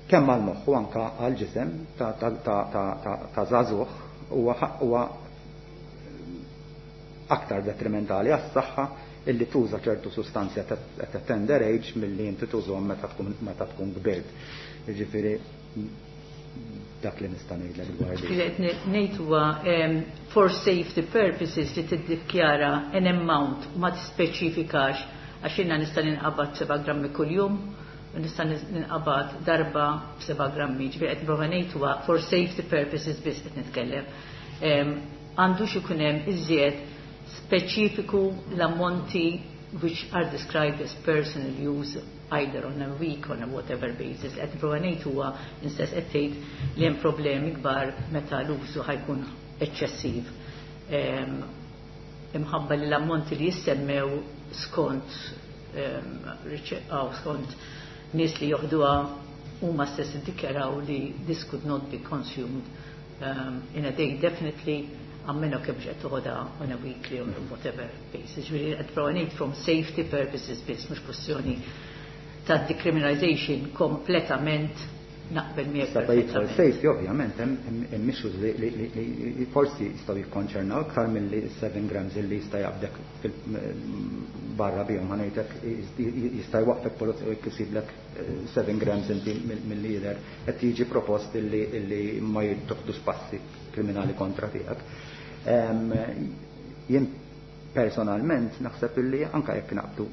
kemm għall-moħħ u anke għall-ġisem ta' żagħżugħ huwa aktar detrimentali għas-saħħa illi tuża ċertu sustanzi at a tender age milli inti tużhom meta tkun meta tkun kbirt. Jiġifieri dak li nista' ngħidlek dwar dik. Qed ngħid huwa for safety purposes li tiddikjara an amount u ma tispeċifikax, għax jiena nista' ninqabad seba' grammi kuljum u nista' ninqabad darba b'seba' grammi. Ġifieri qed nipprova ngħid huwa for safety purposes biss qed nitkellem. Għandux ikun hemm iżjed speċifiku l-ammonti which are described as personal use either on a week, on a whatever basis. Qed nipprova ngħid huwa instess qed tgħid li hemm problemi kbar meta l-użu ħa jkun eċċessiv. Imħabba li l-ammonti li jissemmew skont skont nies li joħduha huma stess iddikjaraw li this could not be consumed um, in a day definitely, għammenu kemm qed toħodha on a weekly or whatever basis. Ġifieri qed prova ngħid from safety purposes biss, mhux kwestjoni ta' decriminalization kompletament, naqbel miegħek. Sa jidħol safety, ovvjament hemm issues li forsi jistgħu jikkonċernaw iktar milli seven grams illi jista' jaqbdek barra bihom, ħa ngħidlek, jista' jwaqfek pulizija u jkisiblek seven grams inti mill-lider qed jiġi propost illi ma jittoħdux passi kriminali kontra tiegħek. Jien personalment naħseb illi anka jekk naqbdu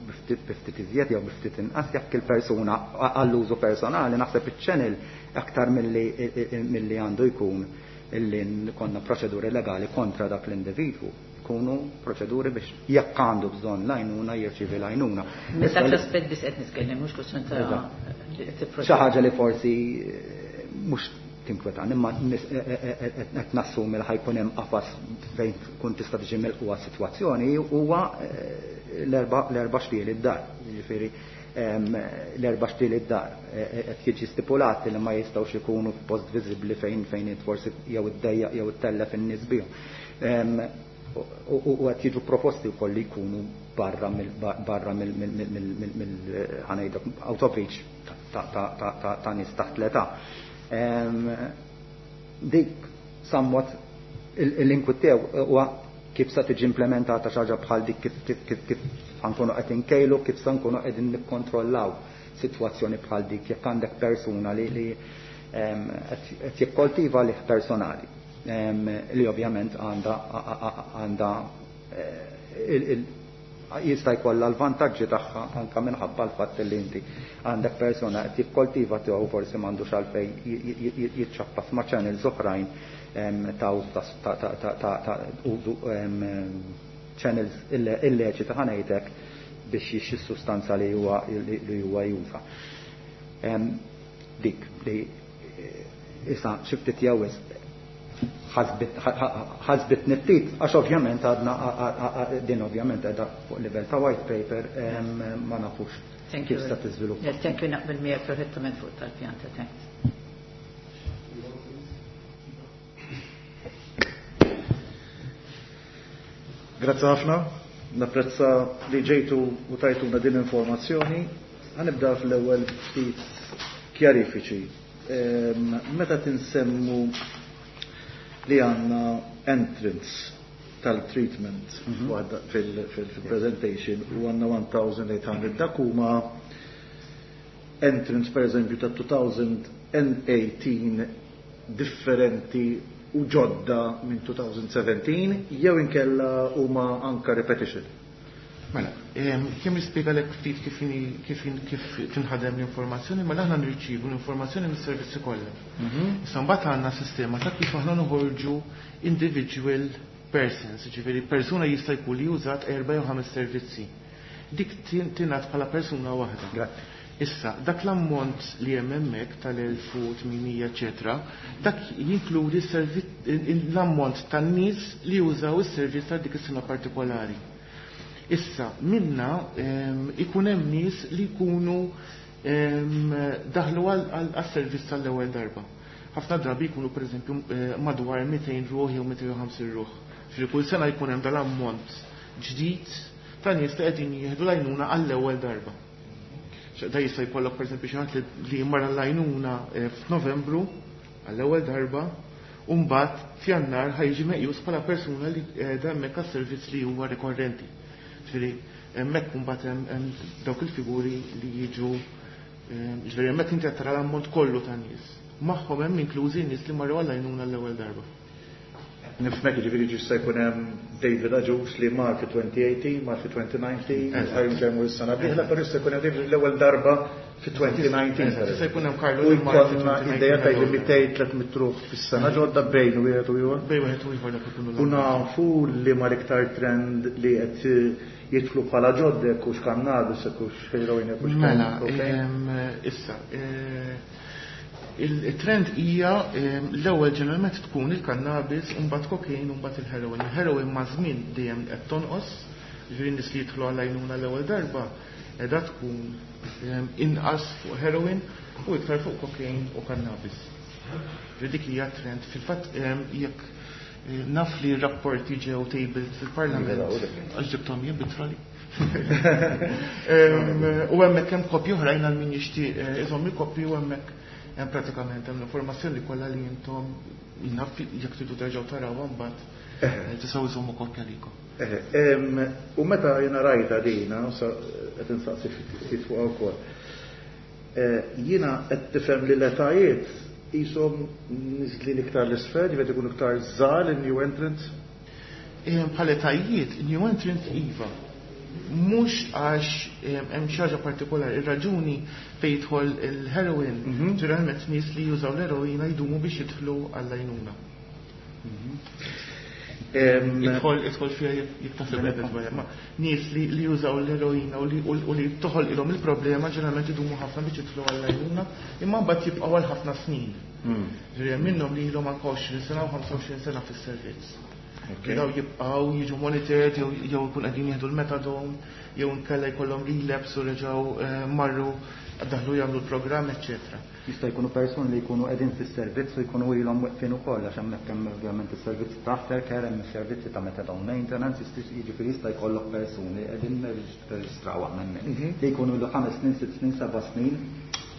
biftit iżjed jew biftit inqas, jekk il-persuna għall-użu personali, naħseb iċ-channel aktar milli għandu jkun illi konna proċeduri legali kontra dak l-individwu, jkunu proċeduri biex jekk għandu bżonn l-għajnuna jirċievi l-għajnuna. Dak l-aspett biss qed nitkellem, mhux kwestjoni ta' xi ħaġa li forsi mhux tinkwetan, imma qed nassumi li ħa jkun hemm qafas fejn tkun tista' tiġi milquha sitwazzjoni huwa l-erba' xtieli d-dar. Jiġifieri l-erba' xtieli d-dar qed jiġi stipulati li ma jistgħux ikunu f'post viżibbli fejn fejn forsi jew iddejjaq jew ittellef in-nies bihom. U qed jiġu proposti wkoll li jkunu barra mill barra mill ħa ngħidlek out of reach ta' nies taħt l-età. Dik somewhat l-inkwit tiegħu huwa Kif sa tiġi implementata xi ħaġa bħal dik, kif kif kif kif ħankunu qed inkejlu, kif sa nkunu qegħdin nikkontrollaw sitwazzjoni bħal dik jekk għandek persuna li li qed jikkoltiva lih personali li ovvjament għandha għandha jista' jkollha l-vantaġġi tagħha anke minħabba l-fatt li inti għandek persuna qed jikkoltiva tiegħu, forsi m'għandux għalfejn jiċċappas ma' channels oħrajn ta' ta' użu, channels illeċita, ħa ngħidlek, biex jixtri sustanza li huwa li huwa juża. Dik li issa xi ftit jew ħasbit ftit, għax ovvjament għadna din ovvjament għadha fuq livell ta' white paper, ma nafux kif sta tiżviluppa. Yes, thank you, naqbel miegħek perfettament fuq tal-pjanta, thanks. Grazzi ħafna, napprezza li ġejtu u tajtuna din informazzjoni. Ħa nibda fl-ewwel ftit kjarifiċi. Meta tinsemmu li għandna entrants tal-treatment mhm. fil-presentation u għandna elf u tmien mija, dak huma entrants per eżempju ta' elfejn u tmintax differenti u ġodda minn elfejn u sbatax jew inkella huma anka repetition? Mela, kemm nispjegalek ftit kif kif kif tinħadem l-informazzjoni, mela aħna nirċievu l-informazzjoni mis-servizzi kollha. Mhm. Issa mbagħad għandna sistema ta' kif aħna noħorġu individual persons, ġifieri persuna jista' jkun li użat erba' jew ħames servizzi. Dik tingħad bħala persuna waħda. Issa, dak l-ammont li hemm hemmhekk tal-elf u tmien mija eċetera, dak jinkludi l-ammont tan-nies li jużaw is-servizz ta' dik is-sena partikolari. Issa, minna ikun hemm nies li jkunu daħlu għas-servizz tal-ewwel darba. Ħafna drabi jkunu, pereżempju, eh, madwar mitejn ruħ jew mitejn u ħamsin ruħ. Ġifieri kull sena jkun hemm dal-ammont ġdid ta' nies li qegħdin jieħdu l-għajnuna għall-ewwel darba. Da jista' jkollok, pereżempju, xi ħadd li mar l-għajnuna eh, f'Novembru għall-ewwel darba u mbagħad f'Jannar ħa jiġi meqjus bħala persuna li qiegħda hemmhekk għas-servizz li huwa rikorrenti. Ġifieri hemmhekk mbagħad hemm dawk il-figuri li jiġu, eh, ġifieri hemmhekk inti qed tara l-ammont kollu ta' nies. Magħhom hemm inklużi nies li marru għall-għajnuna l-ewwel darba. Nifhmek, ġifieri jista' jkun hemm David Agius li mar fi elfejn u tmintax, mar fi elfejn u dsatax, ħa jmur is-sena dieħla, però jista' jkun hemm David l-ewwel darba fi elfejn u dsatax. Jista' jkun hemm Carlo. U jkollna idea ta' li mitejn tliet mitt ruħ fis-sena ġodda bejn wieħed u ieħor. Bejn wieħed u ieħor dak ikunu. U nafu li ma l-iktar trend li qed jidħlu bħala ġodda, hux cannabis, hux heroin, hux Mela, issa, eh, il-trend hija l-ewwel ġeneralment tkun il-cannabis, u mbagħad cocaine, u mbagħad il-heroin. Il-heroin ma' żmien dejjem qed tonqos, ġifieri nies li jidħlu għall-għajnuna l-ewwel darba qiegħda tkun inqas fuq heroin u iktar fuq cocaine u cannabis. Ġifieri dik hija trend. Fil-fatt, jekk eh, naf li rapporti ġew tabled fil-Parlament, għax ġibthom jien bit-trolley. U hemmhekk hemm kopji oħrajn għal min jixtieq eh, iżomm il-kopji u hemmhekk hemm pratikament hemm l-informazzjoni kollha li intom naf jekk tridu terġgħu tarawha mbagħad eh, tistgħu iżommu kopja likom. U meta jiena rajta dina, qed insaqsi ftit fuq ukoll. Eh, jiena qed tifhem li l-etajiet qishom niżlin iktar l-isfel, jiġifieri ikunu iktar żgħar in-new entrants? Bħal etajiet, new entrants iva. Mhux għax hemm xi ħaġa partikolari, ir-raġuni fejn jidħol il-heroin, mhm. ġeneralment nies li jużaw l-heroina jdumu biex jidħlu għall-għajnuna. Mhm. Idħol idħol fiha jekk taħseb, ma nies li li jużaw l-eroina u li u li toħol ilhom il-problema ġeneralment idumu ħafna biex jidħlu għall-għajnuna, imma mbagħad jibqgħu għal ħafna snin. Hmm. Ġifieri minnhom li ilhom anke għoxrin sena u ħamsa u għoxrin sena fis-servizz. Daw jibqgħu jiġu monitored jew jew ikun qegħdin jieħdu l-methadone jew inkella jkollhom relapse u reġgħu eh, marru daħlu jagħmlu l-programm, eċċetera. Jista' jkunu persuni li jkunu qegħdin fis-servizz u jkunu ilhom weqfin ukoll, għax hemmhekk hemm ovvjament is-servizzi ta' aftercare, hemm is-servizzi ta' methadone maintenance, jiġifieri jista' jkollok persuni qegħdin nirreġistraw hemmhekk mhm. li jkunu ilu ħames snin, sitt snin, seba' snin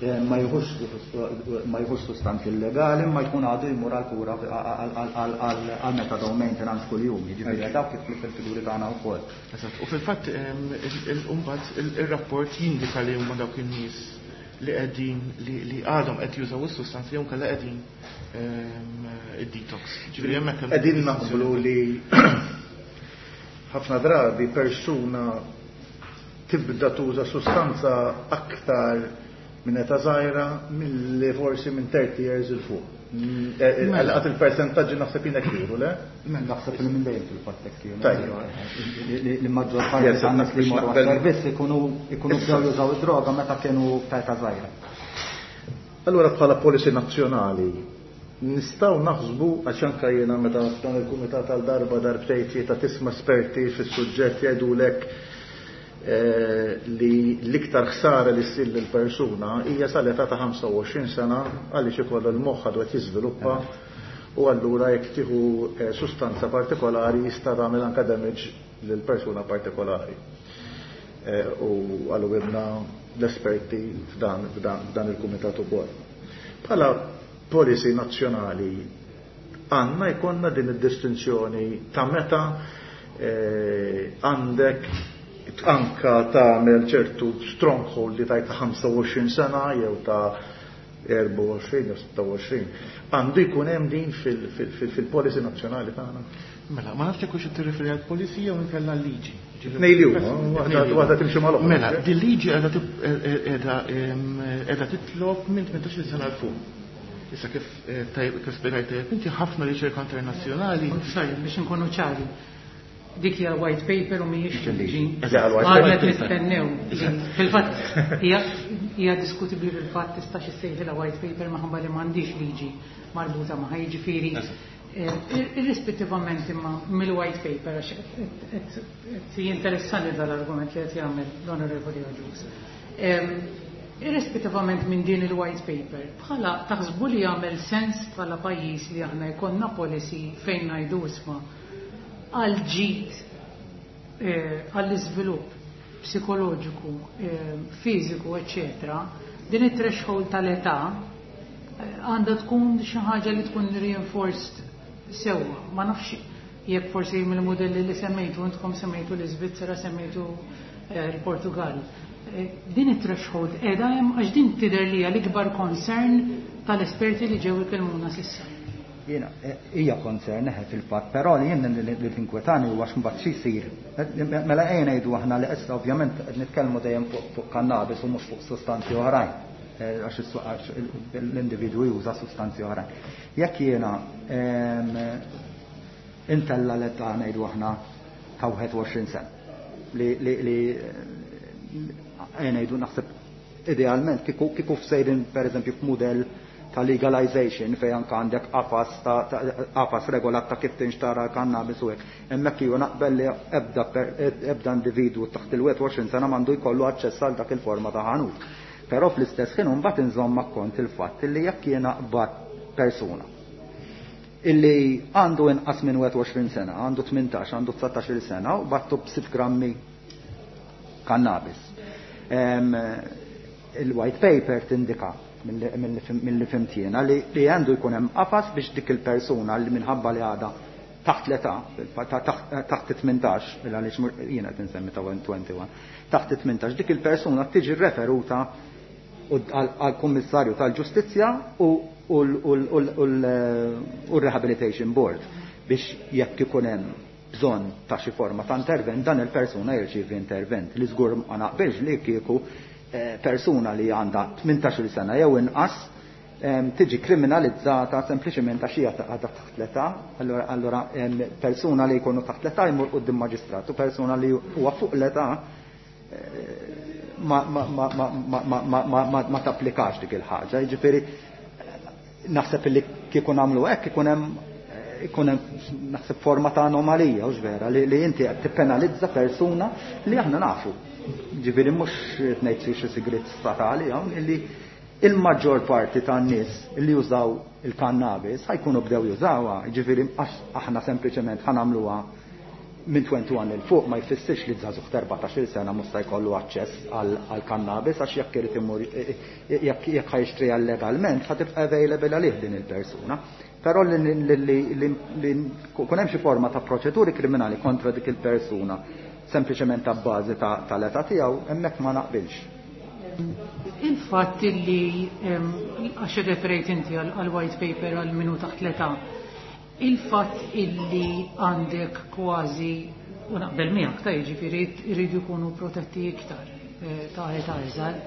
ma jieħux sustanzi illegali, ma jkun għadu jmur għal-kura għal methadone maintenance kuljum, jiġifieri dawk kif fil-figuri tagħna wkoll. Eżatt, u fil-fatt imbagħad ir-rapport jindika li huma dawk in-nies li qegħdin li għadhom qed jużaw is-sustanzi jew kellha qegħdin id-detox. Ġifieri hemmhekk qegħdin naqblu li ħafna drabi persuna tibda tuża sustanza aktar minn età żgħira milli forsi minn thirty years il fuq. Għal il-persentaġġi naħseb jiena kienu, le? Naħseb li minn dejjem fil-fatt hekk kienu. Li maġġor parti tan-nies li jmorru għas-servizz ikunu ikunu bdew jużaw id-droga meta kienu ta' età żgħira. Allura bħala policy nazzjonali nistgħu naħsbu, għax anke jiena meta f'dan il-kumitat għal darba darbtejn tlieta tisma' esperti fis-suġġett jgħidulek li l-iktar ħsara li ssir lill-persuna hija sal-età ta' ħamsa u għoxrin sena għaliex ikollu l-moħħ għadu qed jiżviluppa u allura jekk tieħu sustanza partikolari jista' tagħmel anke damage lill-persuna partikolari. U għallu l-esperti f'dan, f'dan il-kumitat ukoll. Bħala policy nazzjonali għandna jkollna din id-distinzjoni ta' meta għandek anka tagħmel ċertu stronghold li tajt ta' ħamsa u għoxrin sena jew ta' erba' u għoxrin jew sitta u għoxrin. Għandu jkun hemm din fil-policy nazzjonali tagħna. Mela, ma nafx jekk hux tirreferi għal policy jew inkella liġi. Tnejn li huma, waħda timxi mal-oħra. Mela, din liġi qiegħda titlob minn tmintax-il sena l fuq. Issa kif kif spjegajt tajjeb inti ħafna riċerka internazzjonali. Sorry, biex inkunu ċari. Dik hija white paper u mhijiex liġi. Għadna nistennew. Fil-fatt hija diskutibbli fil-fatt tistax issejħilha white paper minħabba li m'għandix liġi marbuta magħha, jiġifieri irrispettivament imma mill-white paper għax qed jinteressani dal-argument li qed jagħmel l-Onorevoli Agius. Irrispettivament minn din il-white paper, bħala taħsbu li jagħmel sens bħala pajjiż li aħna jkollna policy fejn ngħidu isma' għal ġid, għall-iżvilupp psikoloġiku, fiżiku, eċċetera, din it-threshold tal-età għandha tkun xi ħaġa li tkun reinforced sewwa. Ma nafx jekk forsi mill-modelli li semmejtu, intkom semmejtu l-Iżvizzera, semmejtu l-Portugal. Din it-threshold qiegħda hemm għax din tidher li hija l-ikbar concern tal-esperti li ġew ikellmuna s'issa. Jiena hija concern eħe fil-fatt, però li jien li tinkwetani huwa x'mbagħad xi jsir. Mela ejja ngħidu aħna li issa ovvjament qed nitkellmu dejjem fuq cannabis u mhux fuq sustanzi oħrajn, għax l-individwu juża sustanzi oħrajn. Jekk jiena intella l-età ngħidu aħna ta' wieħed u għoxrin sena li li ejja ngħidu naħseb idealment kieku kieku f'sejrin pereżempju f'mudell ta' legalization fejn anke għandek qafas ta' qafas regolat ta' kif tinxtara l-cannabis u hekk. Hemmhekk ju naqbel li ebda ebda individwu taħt il-wieħed u għoxrin sena m'għandu jkollu aċċess għal dak il-forma ta' ħanut. Però fl-istess ħin imbagħad inżomm akkont il-fatt li jekk jiena qbad persuna illi għandu inqas minn wieħed u għoxrin sena, għandu tmintax, għandu dsatax-il sena u battu b'sitt grammi cannabis. Il-white paper tindika mill-li fimtjena li għandu jkun hemm qafas biex dik il-persuna li minħabba li għadha taħt l-età, taħt tmintax, għaliex jiena qed insemmi ta' twenty-one, taħt tmintax, dik il-persuna tiġi referuta għall-Kummissarju tal-Ġustizzja u l-Rehabilitation Board biex jekk ikun hemm bżonn ta' xi forma ta' intervent, dan il-persuna jirċievi intervent. Li żgur ma naqbilx li kieku persuna li għandha tmintax-il sena jew inqas tiġi kriminalizzata sempliċement għax hija għadha taħt l-età. Allura persuna li jkunu taħt l-età jmur quddiem maġistrat u persuna li huwa fuq l-età ma ma ma ma ma ma ma ma tapplikax dik il-ħaġa. Jiġifieri naħseb li kieku nagħmlu hekk ikun hemm ikun hemm naħseb forma ta' anomalija, hux vera, li inti qed tippenalizza persuna li aħna nafu. Ġifieri mhux qed ngħid xi sigriet statali hawn illi il-maġġor parti tan-nies li jużaw il-cannabis ħajkunu bdew jużawha, ġifieri aħna sempliċement ħanamluha Minn wieħed u għoxrin 'il fuq ma jfissirx li żagħżugħ ta' erbatax-il sena mhux se jkollu aċċess għal cannabis, għax jekk irid imur, jekk jekk ħa jixtriha legalment, ħa tibqa' available għalih din il-persuna. Però li li kun hemm xi forma ta' proċeduri kriminali kontra dik il-persuna sempliċement ta' bażi tal-età tiegħu, hemmhekk ma naqbilx. Il-fatt li, għax referejt inti għal white paper għal min hu taħt l-età, il-fatt illi għandek kważi, u naqbel miegħek ta' jiġifieri jridu jkunu protetti iktar eh, ta' età iżgħar,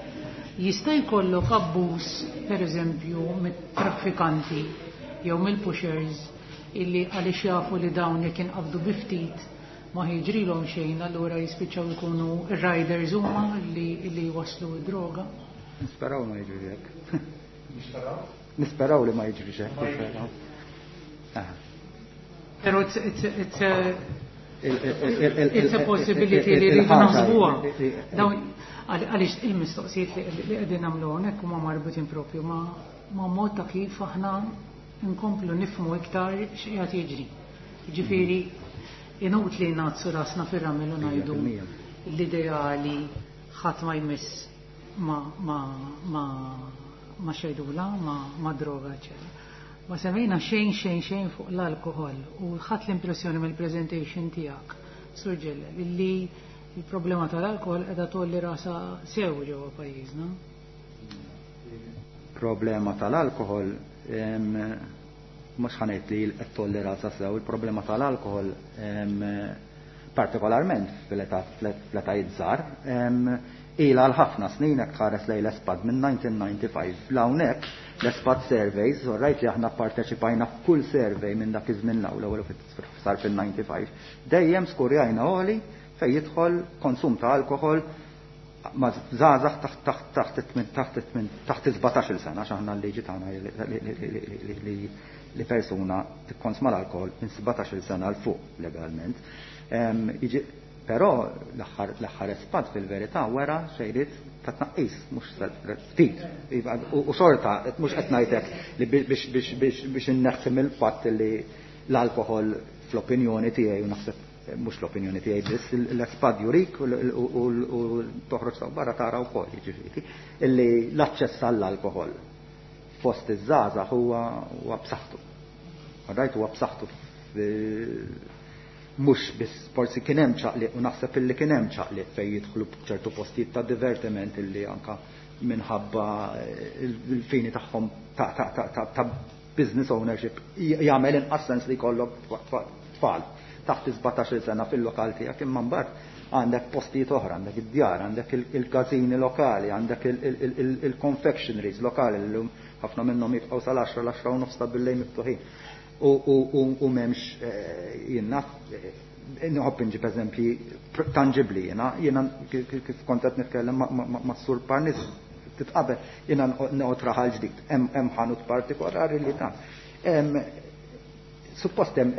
jista' jkollok abbuż, pereżempju, mit-traffikanti jew mill-pushers illi għaliex jafu li dawn jekk inqabdu bi ftit ma jiġrilhom xejn, allura jispiċċaw ikunu ir-riders huma li li waslu d-droga. Nisperaw ma jiġri hekk. Nisperaw? Nisperaw li ma jiġri hekk. Però it's, it's, it's a, it's a possibility li rridu naħsbuha. Dawn għaliex il-mistoqsijiet li qegħdin nagħmlu hawnhekk huma marbutin propju ma' ma' mod ta' kif aħna nkomplu nifhmu iktar x'qiegħed jiġri. Ġifieri inutli ngħaddsu rasna fir-ramel u ngħidu l-ideali ħadd ma jmiss ma ma ma ma xejdula, ma, ma droga, eċetera. Ma semmejna xejn, xejn, xejn fuq l-alkohol u ħadt l-impressjoni mill-presentation tiegħek, Sur Ġellel, illi il-problema tal-alkohol qiegħda tgħolli rasha sew ġewwa pajjiżna. Problema tal-alkohol, mhux ħa ngħid li qed tgħolli rasha sew, il-problema tal-alkohol, partikolarment fl-età fl-etajiet żgħar, ila għal ħafna snin. Hekk tħares lejn l-ESPAD minn elf disa' mija u disgħa u disgħin 'l hawnhekk, l-ESPAD surveys, rajt li aħna parteċipajna f'kull survey minn dak iż-żmien l-ewwel sar fil-disgħa u disgħin, dejjem skurjajna għoli fejn jidħol konsum ta' alkohol ma' żgħażagħ taħt taħt taħt taħt sbatax-il sena, għax aħna l-liġi tagħna li persuna tikkonsma l-alkohol minn sbatax-il sena 'l fuq legalment. Però l-aħħar ESPAD fil-verità wera xejriet ta' tnaqqis, mhux ftit. U xorta, mhux qed ngħidlek li biex inneħħi mill-fatt li l-alkohol, fl-opinjoni tiegħi, u naħseb mhux l-opinjoni tiegħi biss, l-ESPAD jurik u toħroġ ta' barra tara wkoll, jiġifieri, illi l-aċċess għall-alkohol fost iż-żgħażagħ huwa b'saħħtu. Rajt, huwa b'saħħtu, mhux biss forsi kien hemm ċaqliq, u naħseb illi kien hemm ċaqliq fejn jidħlu ċertu postijiet ta' divertiment illi anka minħabba il-fini tagħhom ta' business ownership jagħmel inqas sens li jkollok tfal taħt sbatax-il sena fil-lokal tiegħek, imma mbagħad għandek postijiet oħra, għandek id-djar, għandek il-każini lokali, għandek il-confectionaries lokali li ħafna minnhom jibqgħu sal-għaxra, l-għaxra u nofs ta' billejl miftuħin. U m'hemmx, jien naf, nħobb inġib eżempji tangibli jiena, jiena kif kont qed nitkellem ma' Sur Parnis titqabel, jiena noqgħod Raħal Ġdid, hemm ħanut partikolari li ta' suppost hemm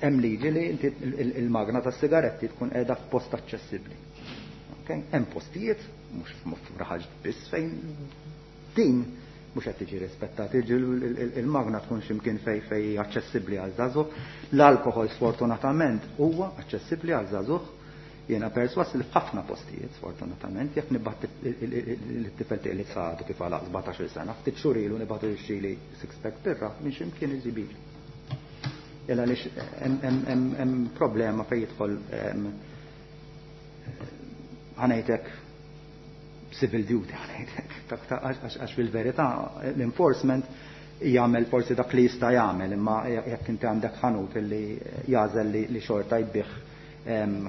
hemm liġi li inti il-magna tas sigaretti tkun qiegħda f'post aċċessibbli. Hemm postijiet, mhux f'Raħal biss, fejn din mhux qed tiġi rispettata, il-magna tkun x'imkien fej fej aċċessibbli għal żagħżugħ. L-alkohol sfortunatament huwa aċċessibbli għal żagħżugħ. Jiena perswas li f'ħafna postijiet, sfortunatament, jekk nibgħat it-tifel tiegħi li għadu kif għalaq sbatax-il sena, ftit xhur ilu nibgħatu jixtrili six pack birra, minn x'imkien iġibili. Illa għaliex hemm problema fejn jidħol, ħa ngħidlek, civil duty, ħa ngħidlek, għax fil-verità l-enforcement jagħmel forsi dak li jista' jagħmel, imma jekk inti għandek ħanut li jagħżel li xorta jbigħ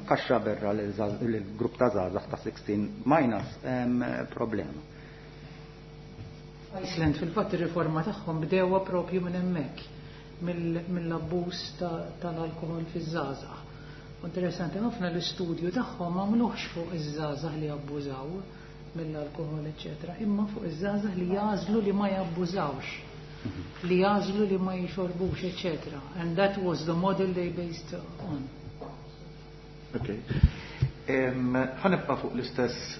kaxxa birra l-grupp ta' żgħażagħ ta' sittax minus, problema. Iceland fil-fatt ir-riforma tagħhom bdewha propju minn hemmhekk, mill-abbuż tal-alkohol fiż-żgħażagħ. Interessanti ħafna, l-istudju tagħhom m'għamluhx fuq iż-żgħażagħ li abbużaw mill-alkohol, eċetera, imma fuq iż-żgħażagħ li jagħżlu li ma jabbużawx, li jagħżlu li ma jixorbux, eċetera. And that was the model they based on. Ok. Ħa nibqa' fuq l-istess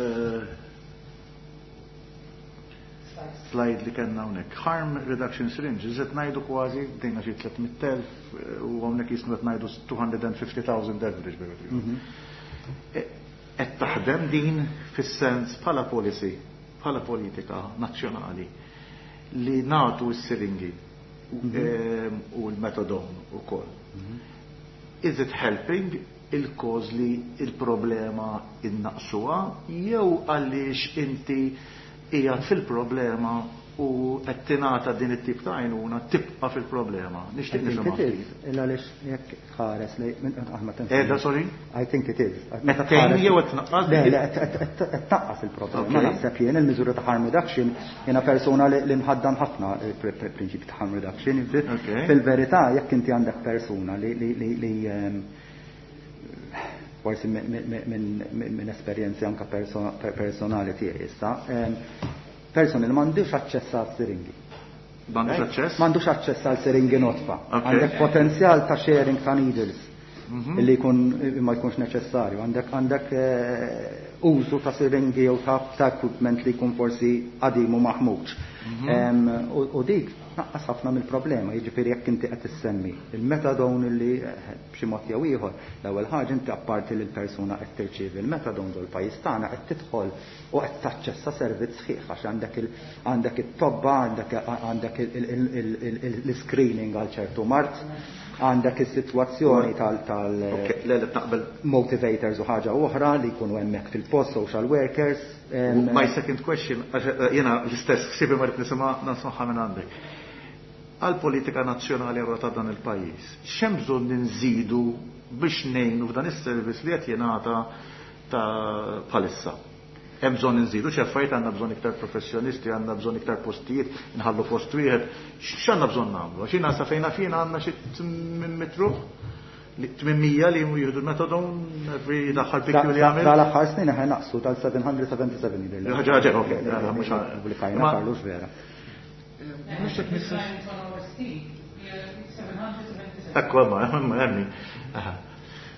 eh, Slide li kellna hawnhekk. Harm reduction syringes, qed ngħidu kważi bdejna xi tliet mitt elf u hawnhekk jismu qed ngħidu two hundred fifty thousand average. Mhm. E, qed taħdem din fis-sens bħala policy, bħala politika nazzjonali li nagħtu s-siringi mhm. u l-methadone ukoll? Mhm. Is it helping il-cause li il-problema innaqsuha jew għaliex inti qiegħed fil-problema u qed tingħata din it-tip ta' għajnuna tibqa' fil-problema? Nixtieq nifhem. It is, għaliex jekk tħares li Edha, sorry? I think it is. Meta tgħin jew qed tnaqqas? Le, le, qed tnaqqas il-problema. Naħseb jien il-miżura ta' harm reduction, jiena persuna li nħaddan ħafna il-prinċipju ta' harm reduction. Fil-verità, jekk inti għandek persuna li ehm, forsi minn esperjenzi anka personali tiegħi issa, ehm, persuni li m'għandux aċċess għal siringi. M'għandux aċċess? M'għandux aċċess għal siringi nodfa. Għandek potenzjal ta' sharing ta' needles mhm. illi jkun ma jkunx neċessarju. Għandek għandek eh, użu ta' siringi jew ta' equipment li jkun forsi qadim u maħmuġ. Mhm. U dik naqqas ħafna mill-problema, jiġifieri jekk inti qed issemmi il-methadone li eh, b'xi mod jew ieħor, l-ewwel ħaġa inti apparti li l-persuna qed tirċievi il-methadone dol pajjiż tagħna qed tidħol u qed taċċessa servizz sħiħ għax għandek għandek it-tobba, għandek l-screening għal ċertu mard, għandek is-sitwazzjoni tal tal motivators u ħaġa oħra li jkunu hemmhekk fil-post, social workers. My second question, eh, jiena l-istess ħsibi ma rrid nisimgħa nasmaħħa minn għandek. Għal politika nazzjonali għal ta' dan il-pajjiż, x'hemm bżonn ninżidu biex ngħinu f'dan is-servizz li qed jingħata ta' bħalissa? Hemm bżonn inżidu xi affarijiet, għandna bżonn iktar professjonisti, għandna bżonn iktar postijiet, inħallu post wieħed, x'għandna bżonn nagħmlu? Għax jiena sa fejna fina għandna xi tmien mitt ruħ, tmien mija li jieħdu methadone every l-aħħar pikju li għamil. Dal-aħħar snin aħna naqsu tal-seba' mija u sebgħa u sebgħin. Ħaġa ħaġa, ok, mhux pubblikajna Carlos vera. Mhux hekk nista' Ekku, ma, ma, hemmi.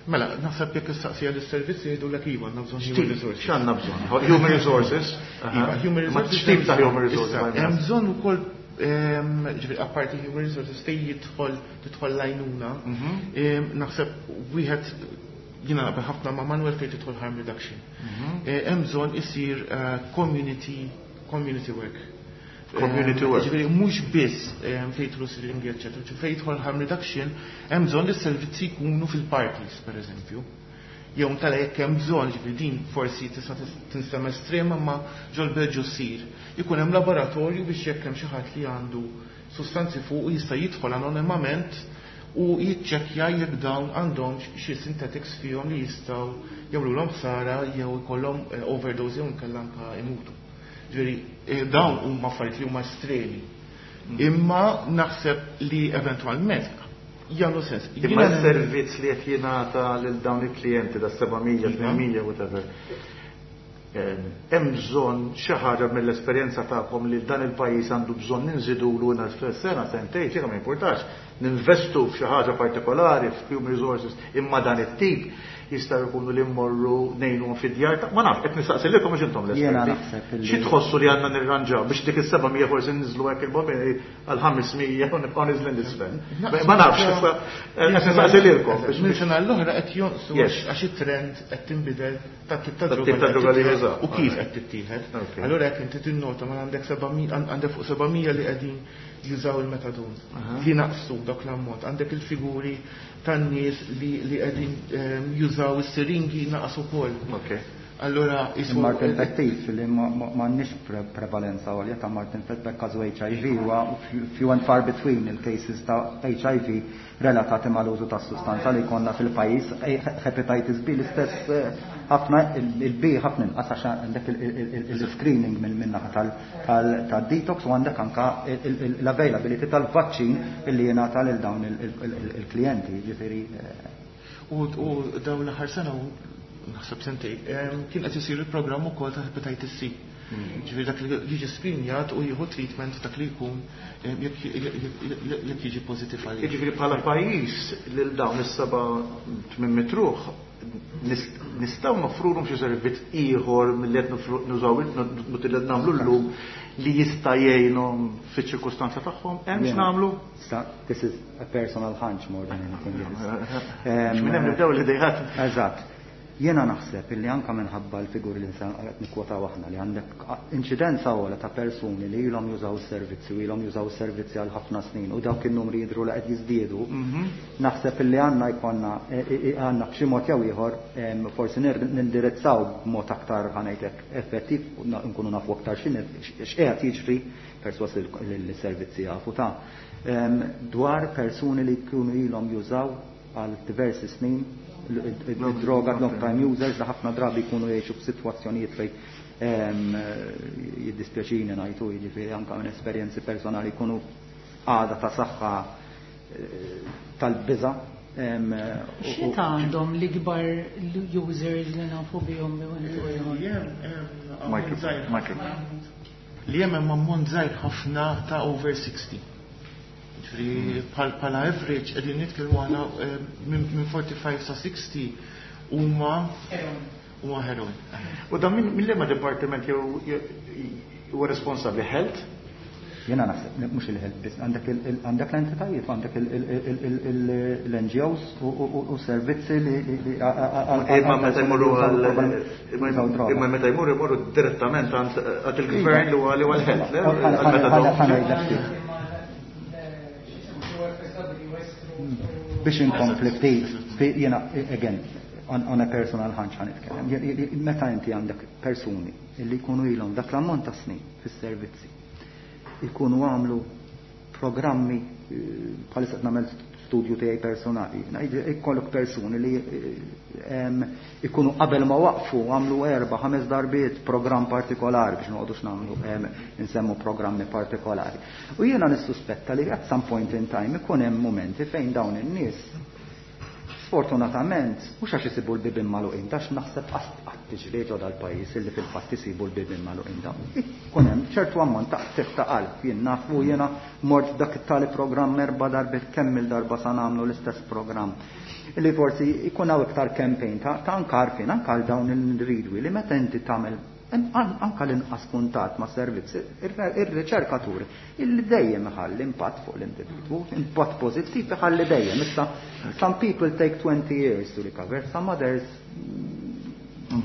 Mela, naħseb jekk istaqsija lis-servizzi jgħidulek iva, għandna bżonn human resources. X'għandna bżonn? Human resources? Iva, human resources. X'tip ta' human resources? Hemm bżonn ukoll, ġifieri apparti human resources fejn jidħol tidħol l-għajnuna, mhm. naħseb wieħed jiena naqbel ħafna ma' Manuel fejn tidħol harm reduction. Mhm. Eh, hemm bżonn isir eh, community community work. Community work. Ġifieri mhux biss fejn jidħlu siringi, eċetera, fejn jidħol harm reduction hemm bżonn li s-servizzi jkunu fil-parties, pereżempju. Jew tala jekk hemm bżonn, ġifieri din forsi tista' tinstema' estrema, ma ġol-Belġju ssir. Ikun hemm laboratorju biex jekk hemm xi ħadd li għandu sustanzi fuq jista' jidħol anonimament u jiċċekkja jekk dawn għandhom xi synthetics fihom li jistgħu jagħmluhom ħsara jew ikollhom eh, overdose jew inkella anke imutu. Ġifieri eh, dawn huma affarijiet li huma estremi. Imma naħseb li eventwalment jagħmlu sens. Imma s-servizz li qed jingħata lil dawn il-klijenti da seba' mija, tmien mija, whatever. Hemm bżonn xi ħaġa mill-esperjenza tagħkom li dan il-pajjiż għandu bżonn ninżidulu sena, sentejn, xi ma jimpurtax, ninvestu f'xi ħaġa partikolari, f'human resources, imma dan it-tip jista' jkunu li mmorru ngħinu fid-djar ta' ma nafx, qed nistaqsi lilkom biex intom l-esperti. Xi tħossu li għandna nirranġaw biex dik is-seba' mija forsi niżlu hekk il-bobini għal ħames mija u nibqgħu niżlin l-isfel? Ma nafx, issa qed nistaqsi lilkom. Minn sena l-oħra qed jonqsu għax it-trend qed tinbidel ta' tip ta' droga li jużaw. U kif qed tittieħed. Allura jekk inti tinnota ma għandek għandek fuq seba' mija li qegħdin jużaw il-methadone. Li naqsu dak l-ammont. Għandek il-figuri tan-nies li qegħdin ehm, jużaw is-siringi naqsu ukoll. Allora, Mard infettiv li m'għandniex prevalenza għolja ta' mard infettiv, każu H I V huwa few and far between il-cases ta' H I V relatati mal-użu ta' sustanza li konna fil-pajjiż. Hepatitis B l-istess, eh, ħafna il-B ħafna inqas għax għandek il-screening minn naħa tal-detox u għandek anka l-availability tal-vaċċin illi jingħata lil dawn il-klijenti, ġifieri. Eh, u dawn l-aħħar sena, naħseb sentej, kien qed isir il-programm ukoll ta' hepatitis C. Hmm. Ġifieri dak li jiġi screenjat u jieħu treatment dak li jkun jekk jiġi pożittiv għalih. Jiġifieri bħala pajjiż lil dawn is-seba' tmien mitt ruħ Nistgħu noffrulhom xi servizz ieħor milli qed nużaw qed nagħmlu llum li jista' jgħinhom fiċ-ċirkustanza tagħhom? Hemm x'nagħmlu? This is a personal hunch more than anything else. Minn hemm nibdew l-idejat. Eżatt. Jiena naħseb illi anka minħabba l-figuri li qed nikwotaw aħna li għandek inċidenza ogħla ta' persuni li ilhom jużaw is-servizzi u ilhom jużaw is-servizzi għal ħafna snin u dawk in-numri jidhru li qed jiżdiedu, naħseb illi għandna jkollna għandna b'xi mod jew ieħor forsi nindirizzaw b'mod aktar, ħa ngħidlek, effettiv, nkunu nafu aktar x'qiegħed jiġri, perswas li l-servizzi jafu ta' dwar persuni li jkunu ilhom jużaw għal diversi snin id-droga, long time users, li ħafna drabi jkunu jgħixu f'sitwazzjonijiet fejn, jiddispjaċini ngħidu, jiġifieri anke minn esperjenzi personali, jkunu għada ta' saħħa tal-biża. X'età għandhom l-ikbar users li nafu bihom? Li hemm ammont żgħir ħafna ta' over sixty. Ġifieri bħala average qegħdin nitkellmu għala minn forty-five sa sixty huma huma heroin. U dan minn liema dipartiment jew huwa responsabbli? Health? Jiena naħseb mhux il-health biss, għandek l-entitajiet, għandek l-N G Os u servizzi li Imma meta jmorru imma meta jmorru jmorru direttament għand il-gvern li huwa li huwa l-health. Biex inkompli ftit, jiena again on, on a personal hunch ħa nitkellem. Meta inti għandek persuni illi jkunu ilhom dak l-ammont ta' snin fis-servizzi, ikunu għamlu programmi, bħalissa nagħmel studju tiegħi personali, ikollok persuni li ikunu qabel ma waqfu għamlu erba' ħames darbiet programm partikolari, biex noqogħdux nagħmlu nsemmu programmi partikolari. U jiena nissuspetta li at some point in time ikun hemm momenti fejn dawn in-nies sfortunatament mhux għax isibu l-bibien magħluqin, għax naħseb qatt tiġri ġo dal-pajjiż illi fil-fatt isibu l-bibien magħluqin dawn. Ikun hemm ċertu ammont ta' qtigħ ta' qalb, jien nafu, jiena mort dak it-tali programm erba' darbiet, kemm il-darba sa nagħmlu l-istess programm. Illi forsi ikun hawn iktar campaign ta' anka għarfien anka għal dawn l-individwi li meta inti tagħmel anka l-inqas kuntatt ma' servizzi, ir-riċerkaturi illi dejjem iħalli impatt fuq l-individwu, impatt pożittiv iħalli dejjem. Issa, some people take twenty years to recover, some others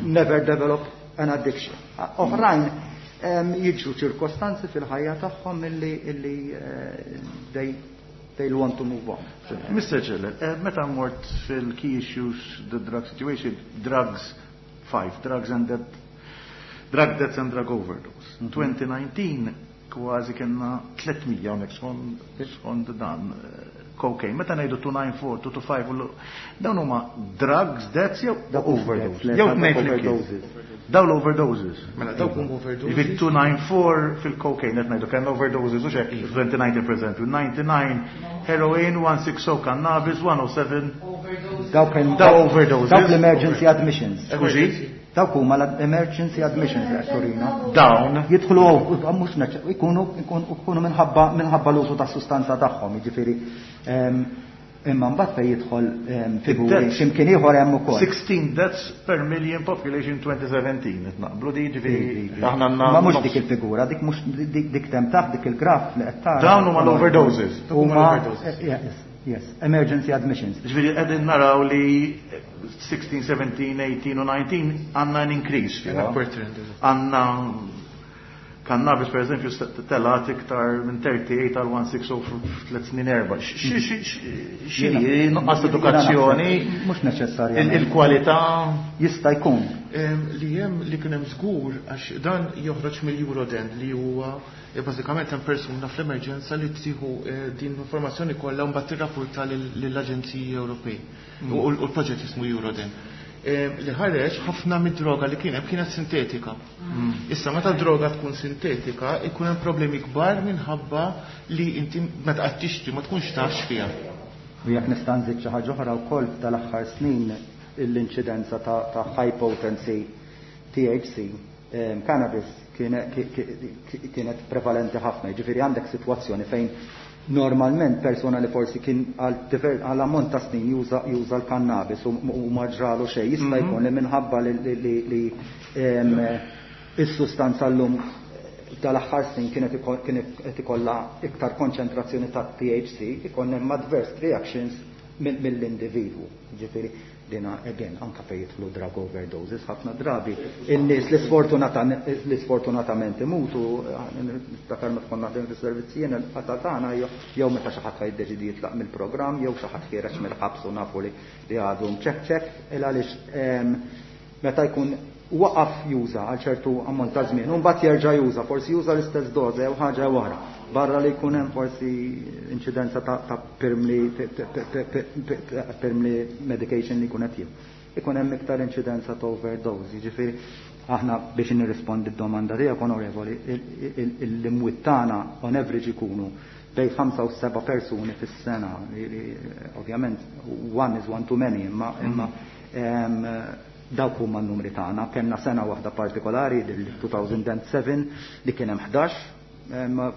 never develop an addiction. Oħrajn jiġru ċirkostanzi fil-ħajja tagħhom illi illi they they want to move on. Mister Celle, meta mort fil-key issues, the drug situation, drugs, five, drugs and death, drug deaths and drug overdose. Mm -hmm. twenty nineteen kważi kellna tliet mija hawnhekk skont dan cocaine. Meta ngħidu two nine four, two two five, dawn huma drugs deaths jew overdose? Jew tnejn flimkien. Dawn l-overdoses. Mela dawk huma overdoses. Jiġifieri two nine four fil-cocaine qed ngħidu kellna overdoses u x'hekk twenty nineteen pereżempju, ninety-nine heroin, one six oh cannabis, one oh seven. Dawk Daw overdoses. Dawk l-emergency admissions. Skużi? Dawk huma l-emergency admissions qed turina. Dawn. Jidħlu mhux ikunu ikunu minħabba minħabba l-użu tas-sustanza tagħhom, jiġifieri imma mbagħad fejn jidħol figuri x'imkien ieħor hemm ukoll. sixteen deaths per million population twenty seventeen, qed naqblu di, jiġifieri aħna għandna Ma mhux dik il-figura, dik mhux dik tem taħt dik il-graf li qed tara. Dawn huma l-overdoses. Huma yes, yes, emergency admissions. Jiġifieri qegħdin naraw li sixteen, seventeen, eighteen u nineteen għandna an increase fiha. Għandna cannabis per eżempju telat iktar minn thirty-eight għal one six oh f'tliet snin erba'. X'inhi nuqqas edukazzjoni? Mhux neċessarjament. Il-kwalità jista' jkun. Li hemm li kien hemm żgur għax dan joħroġ mill-Euroden li huwa bażikament hemm persuna fl-emerġenza li tieħu din l-informazzjoni kollha u mbagħad tirrapporta lill-Aġenziji Ewropej. U l-proġett jismu Euroden. Li ħareġ ħafna mid-droga li kien hemm kienet sintetika. Issa meta droga tkun sintetika ikun hemm problemi kbar minħabba li inti meta qed tixtri ma tkunx taf x'fiha. U jekk nista' nżid xi ħaġa oħra wkoll tal-aħħar snin l-inċidenza ta', ta' high potency T H C cannabis kienet prevalenti ħafna, jiġifieri għandek sitwazzjoni fejn Normalment persona li forsi kien għal ammont ta' snin juża l-kannabis u ma ġralu xejn, jista' jkun li minħabba li is-sustanza llum tal-aħħar snin kienet qed ikollha iktar konċentrazzjoni ta' T H C, ikun hemm adverse reactions mill-individwu. Ġifieri dina again anka fejn jidħlu drug overdoses, ħafna drabi in-nies li sfortunatament imutu, niftakar meta konna naħdem fis-servizzi jien, il-qata tagħna jew meta xi ħadd jiddeċidi jitlaq mill-programm jew xi ħadd ħiereġ mill-ħabs u nafu li għadu mċekċek, il għaliex meta jkun waqaf juża għal ċertu ammont ta' żmien, u mbagħad jerġa' juża, forsi juża l-istess doża jew ħaġa oħra. Barra li jkun hemm forsi inċidenza ta' pirmli pirmli medication li jkun qed jieħu. Ikun hemm iktar inċidenza ta' overdose, jiġifieri aħna biex nirrispondi d-domanda tiegħek, onorevoli, l-imwiet tagħna on average ikunu bejn ħamsa u seba' persuni fis-sena. Ovvjament one is one too many, imma imma dawk huma n-numri tagħna. Kellna sena waħda partikolari, il-elfejn u sebgħa, li kien hemm ħdax.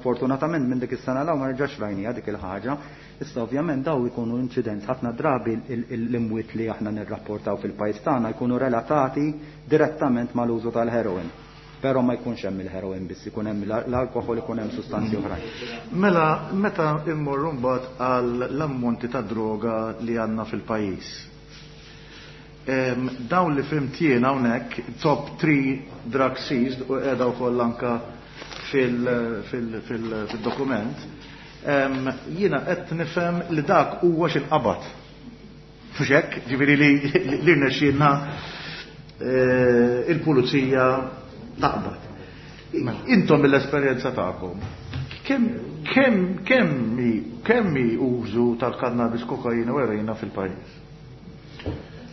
Fortunatament minn dik is-sena 'l hawn ma rġax rajnija dik il-ħaġa. Issa ovvjament daw ikunu incidents, ħafna drabi l-imwiet li aħna nirrapportaw fil-pajjiż tagħna jkunu relatati direttament mal-użu tal-heroin. Però ma jkunx hemm il-heroin biss, ikun hemm l-alkoħol, ikun hemm sustanzi oħrajn. Mela, meta immorru mbagħad għal l-ammonti ta' droga li għandna fil-pajjiż. Dawn li fhimt jien hawnhekk, top three drug seized, u qiegħda wkoll anka fil-dokument, jiena qed nifhem li dak huwa x'inqabad. Mhux hekk, ġifieri li li rnexxielna il-pulizija taqbad. Intom mill-esperjenza tagħkom, kemm kemm kemm kemm użu tal-kannabis, kokaina u eroina fil-pajjiż?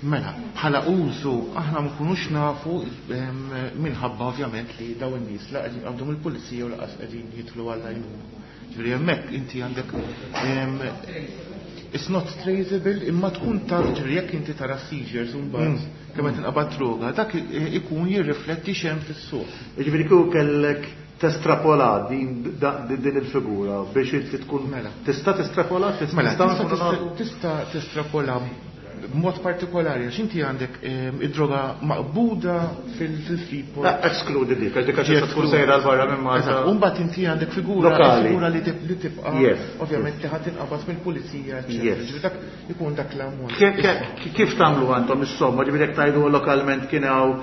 Mela, bħala użu aħna ma nkunux nafu minħabba ovvjament li daw in-nies la qegħdin għandhom il-pulizija u laqas qegħdin jidħlu għall-għajnuna. Ġifieri hemmhekk inti għandek it's not traceable, imma tkun taf, ġifieri jekk inti tara seizures u mbagħad kemm qed tinqabad droga, dak ikun jirrifletti x'hemm fis-suq. Ġifieri kieku kellek testrapola din din il-figura biex inti tkun Mela. tista' testrapola? Mela, tista' testrapola b'mod partikolari, għax inti għandek id-droga maqbuda fil-Freeport. Excluded dik, għax dik għax tkun sejra 'l barra minn Malta. U mbagħad inti għandek figura lokali, figura li tibqa' ovvjament li ħadd inqabad mill-pulizija, eċċetera. Dak ikun dak l-ammont. Kif tagħmlu għandhom is-somma, ġifieri jekk tgħidu lokalment kien hawn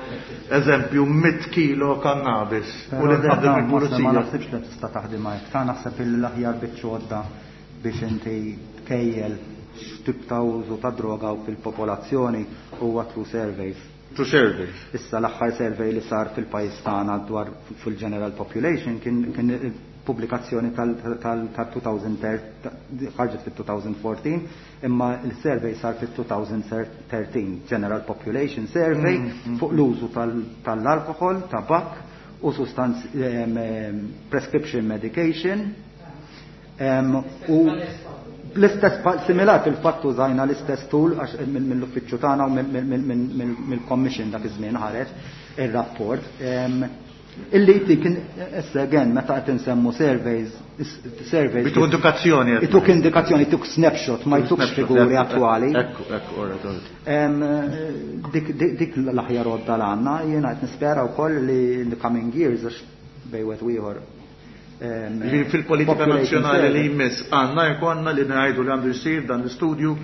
eżempju mitt kilo kannabis u li nqabdu mill-pulizija? Ma naħsibx li tista' taħdem hekk. Ta' naħseb l-aħjar biċċa biex inti tkejjel x'tip ta' użu ta' droga fil-popolazzjoni huwa through surveys. Through surveys. Issa l-aħħar survey li sar fil-pajjiż tagħna dwar fil-general population kien kien pubblikazzjoni tal-elfejn u ħarġet fil-elfejn u erbatax, imma il-survey sar fil-elfejn u tlettax, General Population Survey mm, mm. fuq l-użu tal-alkohol, tabak u sustanz prescription medication u l-istess similar, fil-fatt użajna l-istess tool għax mill-uffiċċju tagħna u mill-commission dak iż-żmien ħareġ ir-rapport. Illi jtik issa again meta qed insemmu surveys surveys Ituk indikazzjoni. Ituk indikazzjoni, ituk snapshot, ma jtukx figuri attwali. Ekku, ekku, Dik dik l-aħjar għodda l għandna, jiena qed nispera wkoll li in the coming years, għax bejn wieħed u ieħor Fil-politika nazzjonali li jmiss għandna jkollna li ngħidu li għandu jsir dan l-istudju,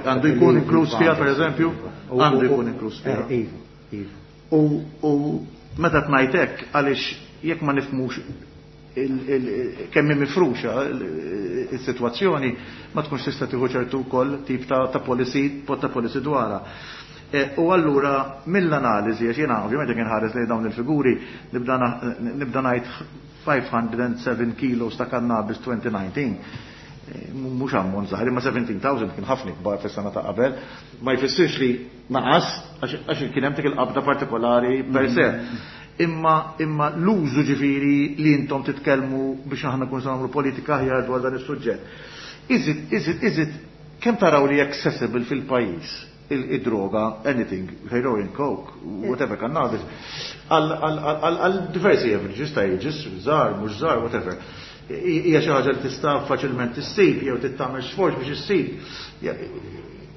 għandu jkun inkluż fiha, per eżempju, għandu jkun inkluż fiha. Iva, iva. U meta tnajt hekk, għaliex jekk ma nifhmux kemm mifruxa il-sitwazzjoni, ma tkunx tista' tieħu ċertu wkoll tip ta' policy ta' policy dwarha. U allura mill-analiżi, għax jiena ovvjament jekk inħares lejn dawn il-figuri nibda ngħid five hundred seven kilos ta' cannabis elfejn u dsatax. Mhux ammont żgħir, imma seventeen thousand kien ħafna kbar fis-sena ta' qabel, ma jfissirx li naqas għax kien hemm dik il-qabda partikolari per se. Imma imma l-użu, ġifieri li intom titkellmu biex aħna nkunu nagħmlu politika aħjar dwar dan is-suġġett. Is it, is it, is it, kemm taraw li accessible fil-pajjiż il-droga, anything, heroin, coke, whatever, cannabis, għal diversi averages ta' ages, żgħar, mhux żgħar, whatever. Hija xi ħaġa li tista' faċilment issib jew tagħmel sforz biex issib.